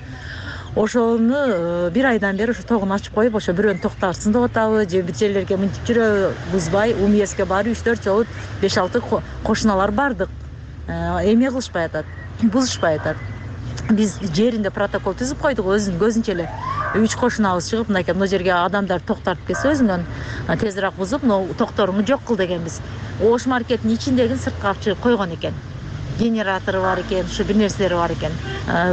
Ошону бир айдан бери ошо тогун ачып коюп, ошо бирөөнү токтарсын деп атабы, же бир жерлерге мынтип жүрө бузбай, УМСке барып үч төрт жолу беш алты кошуналар бардык. Эме кылышпай атат, бузушпай атат. Биз жеринде протокол түзүп койдук, өзүнүн көзүнчө эле. Үч кошунабыз чыгып, мынакей бул жерге адамдар токтартып келсе өзүнөн тезирээк бузуп, но токторуңду жок кыл дегенбиз. Ош маркеттин ичиндегин сыртка алып чыгып койгон экен. генератору бар экен, ушу бир нерселери бар экен.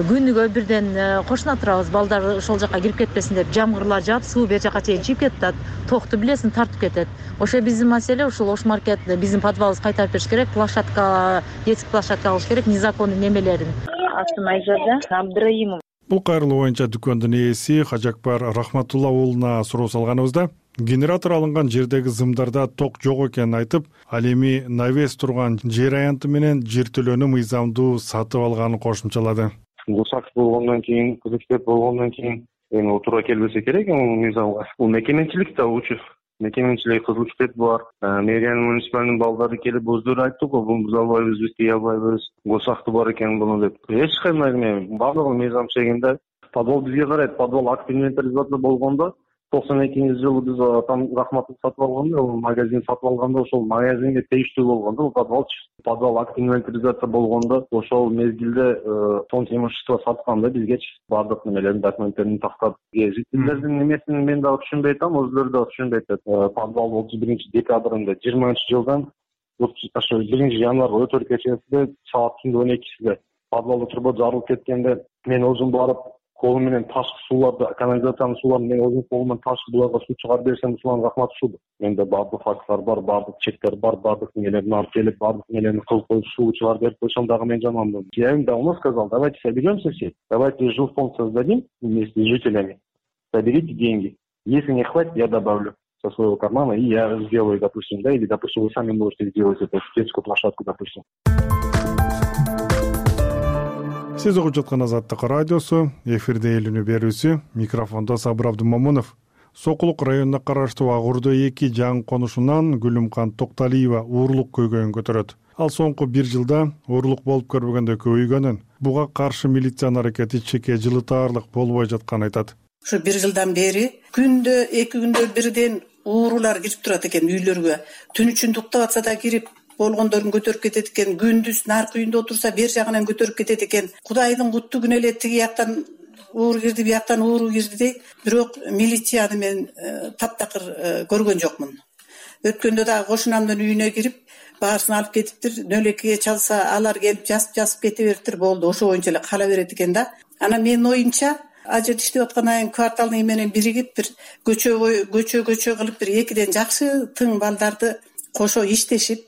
Күнүгө бирден кошуна турабыз, балдар ошол жака кирип кетпесин деп. Жамгырлар жаап, суу бер жака чейин чыгып кетет, токту билесиң тартып кетет. Ошо биздин маселе, ушул Ош маркет биздин подвалыбызды кайтарып бериш керек, площадка, детский площадка алыш керек, незаконный немелерин. Атын Айжарда Абдраимов. Бул кайрылуу боюнча дүкөндүн ээси Хажакбар Рахматулла уулуна суроо салганыбызда генератор алынган жердеги зымдарда ток жок экенин айтып, ал эми навес турган жер аянты менен жер төлөөнү мыйзамдуу сатып алганын кошумчалады. Гусак болгондон кийин, кызыктеп болгондон кийин эми туура келбесе керек эми мыйзамга. Бул мекеменчилик да учу. Мекеменчилик кызылчтет бар. Мэриянын муниципалдын балдары келип өздөрү айтты го, бул биз албайбыз, биз тие албайбыз. Гусакты бар экен буну деп. Эч кандай эме баардыгы мыйзам чегинде. Подвал бизге карайт. Подвал акт инвентаризация болгондо токсон экинчи жылы биз там Рахматов сатып алганда, магазин сатып алганда ошол магазинге тийиштүү болгондо подвал подвал акт инвентаризация болгондо ошол мезгилде фонд имущество сатканда бизге баардык немелерин документтерин тактап жителдердин немесин мен дагы түшүнбөй атам, өзүлөрү дагы түшүнбөй атат. Подвал отуз биринчи декабрында жыйырманчы жылдан ошо биринчи январга өтөр кечесинде саат түндүн он экисинде подвалда труба жарылып кеткенде мен өзүм барып колум менен ташкы сууларды, канализациянын сууларын мен өзүм колум менен ташкы буларга суу чыгарып берсем, ушуларга рахмат ушуду. Менде баардык факттар бар, баардык чектер бар, баардык нелерин алып келип, баардык нелерин кылып коюп суу чыгарып берип койсом дагы мен жаманмын. Я им давно сказал, давайте соберемся все, давайте жилфонд создадим вместе с жителями, соберите деньги. Если не хватит, я добавлю со своего кармана, и я сделаю, допустим, да, или, допустим, вы сами можете сделать эту детскую площадку, допустим. Сиз угуп жаткан Азаттык радиосу, эфирде элүүнү берүүсү, микрофондо Сабыр Абдумамунов. Сокулук районуна караштуу Агурдо эки жаңы конушунан Гүлүмкан Токталиева уурлук көйгөйүн көтөрөт. Ал соңку бир жылда уурлук болуп көрбөгөндө көбөйгөнүн, буга каршы милициянын аракети чеке жылытаарлык болбой жатканын айтат. Ушу бир жылдан бери күндө эки күндө бирден уурулар кирип турат экен үйлөргө. Түн үчүн уктап атса да кирип болгондорун көтөрүп кетет экен, күндүз наркы үйүндө отурса бер жагынан көтөрүп кетет экен. Кудайдын кутту күнү эле тиги жактан уур кирди, бияктан ууру кирди дейт. Бирок милицияны мен таптакыр көргөн жокмун. Өткөндө дагы кошунамдын үйүнө кирип, баарысын алып кетиптир. Нөлөккеге чалса, алар келип жасып-жасып кете бериптир, болду. Ошо боюнча эле кала берет экен да. Анан менин оюмча, ал жерде иштеп аткандан кийин кварталдын менен биригип бир көчө көчө көчө кылып бир экиден жакшы тың балдарды кошо иштешип,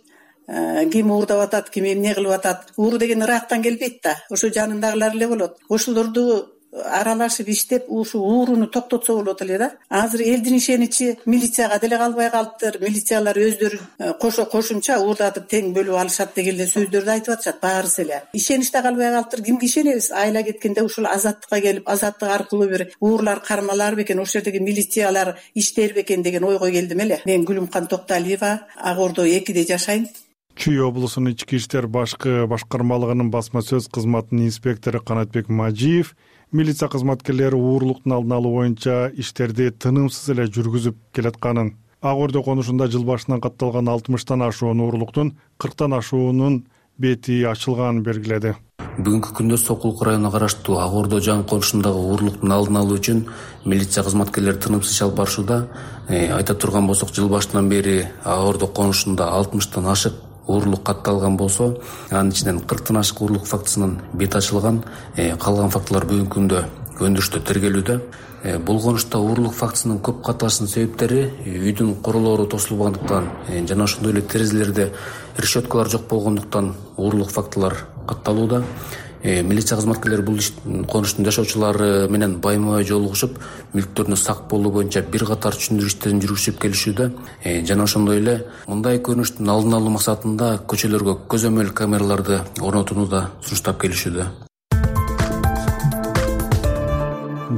ким уурдап атат, ким эмне кылып атат. Ууру деген ырактан келбейт да, ошо жанындагылар эле болот. Ошолорду аралашып иштеп, ушу ууруну токтотсо болот эле да. Азыр элдин ишеничи милицияга деле калбай калыптыр. Милициялар өздөрү кошо кошумча уурдатып тең бөлүп алышат деген эле сөздөрдү айтып атышат баарысы эле. Ишеничте калбай калыптыр. Кимге ишенебиз? Айла кеткенде ушул Азаттыкка келип, Азаттык аркылуу бир уурлар кармалар бекен, ошол жердеги милициялар иштер бекен деген ойго келдим эле. Мен Гүлүмкан Токталиева, Агордо экиде жашайм. Чүй облусунун ички иштер башкы башкармалыгынын басма сөз кызматынын инспектору Канатбек Мажиев милиция кызматкерлери уурлуктун алдын алуу боюнча иштерди тынымсыз эле жүргүзүп келатканын, Агордо конушунда жыл башынан катталган алтымыштан ашуун уурлуктун кырктан ашуунун бети ачылганын белгиледи. Бүгүнкү күндө Сокулук районуна караштуу Агордо жаңы конушундагы уурлуктун алдын алуу үчүн милиция кызматкерлери тынымсыз иш алып барышууда. Айта турган болсок, жыл башынан бери Агордо конушунда алтымыштан ашык уурлук катталган болсо, анын ичинен кырктан ашык уурлук фактысынын бети ачылган. Калган фактылар бүгүнкү күндө өндүрүштө тергелүүдө. Бул конушта уурлук фактысынын көп катталышынын себептери үйдүн королору тосулбагандыктан жана ошондой эле терезелерде решеткалар жок болгондуктан уурлук фактылар катталууда. Милиция кызматкерлери бул конуштун жашоочулары менен байма-бай жолугушуп, мүлктөрүнө сак болуу боюнча бир катар түшүндүрүү иштерин жүргүзүп келишүүдө. Жана ошондой эле мындай көрүнүштүн алдын алуу максатында көчөлөргө көзөмөл камераларды орнотууну да сунуштап келишүүдө.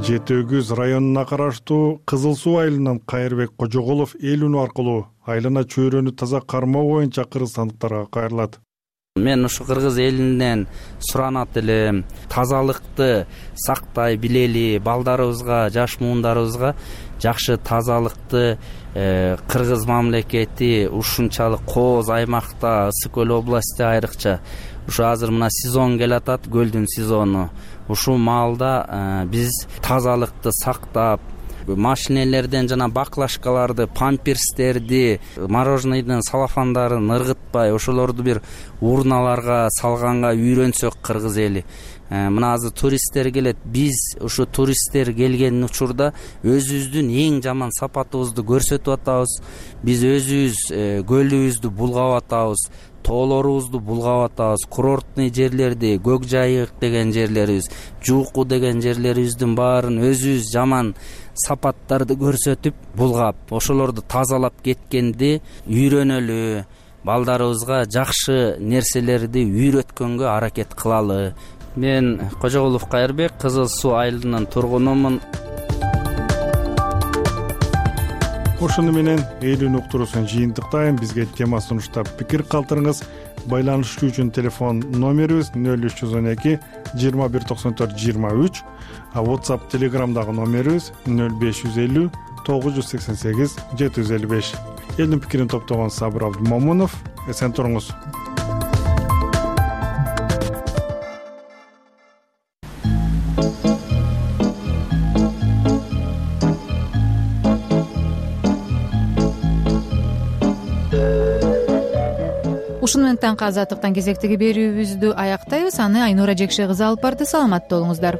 Жети Өгүз районуна караштуу Кызыл Суу айылынан Кайырбек Кожоголов эл үнү аркылуу айлана чөйрөнү таза кармоо боюнча кыргызстандыктарга кайрылат. Мен ушу кыргыз элинен суранат элем, тазалыкты сактай билели, балдарыбызга, жаш муундарыбызга жакшы тазалыкты кыргыз мамлекети ушунчалык кооз аймакта, Ысык көл области айрыкча ушу азыр мына сезон келатат, көлдүн сезону. Ушул маалда биз тазалыкты сактап, машинелерден жана баклажкаларды, памперстерди, мороженыйдын салафандарын ыргытпай ошолорду бир урналарга салганга үйрөнсөк кыргыз эли. Мына азыр туристтер келет. Биз ушу туристтер келген учурда өзүбүздүн эң жаман сапатыбызды көрсөтүп атабыз. Биз өзүбүз көлүбүздү булгап атабыз, тоолорубузду булгап атабыз, курортный жерлерди, Көк Жайык деген жерлерибиз, Жууку деген жерлерибиздин баарын өзүбүз жаман сапаттарды көрсөтүп булгап, ошолорду тазалап кеткенди үйрөнөлү, балдарыбызга жакшы нерселерди үйрөткөнгө аракет кылалы. Мен Кожогулов Кайырбек, Кызыл Суу айылынын тургунумун. Ошону менен эйлүүнү уктуруусун жыйынтыктайм. Бизге тема сунуштап пикир калтырыңыз. Байланышуу үчүн телефон номерибиз нөл үч жүз он эки жыйырма бир токсон төрт жыйырма үч, а WhatsApp Telegramдагы номерибиз нөл беш жүз элүү тогуз жүз сексен сегиз жети жүз элүү беш. Элдин пикирин топтогон Сабыр Абдумомунов. Эсен туруңуз. Ушуну менен таңкы азаттыктан кезектеги берүүбүздү аяктайбыз. Аны Айнура Жекше кызы алып барды. Саламатта болуңуздар.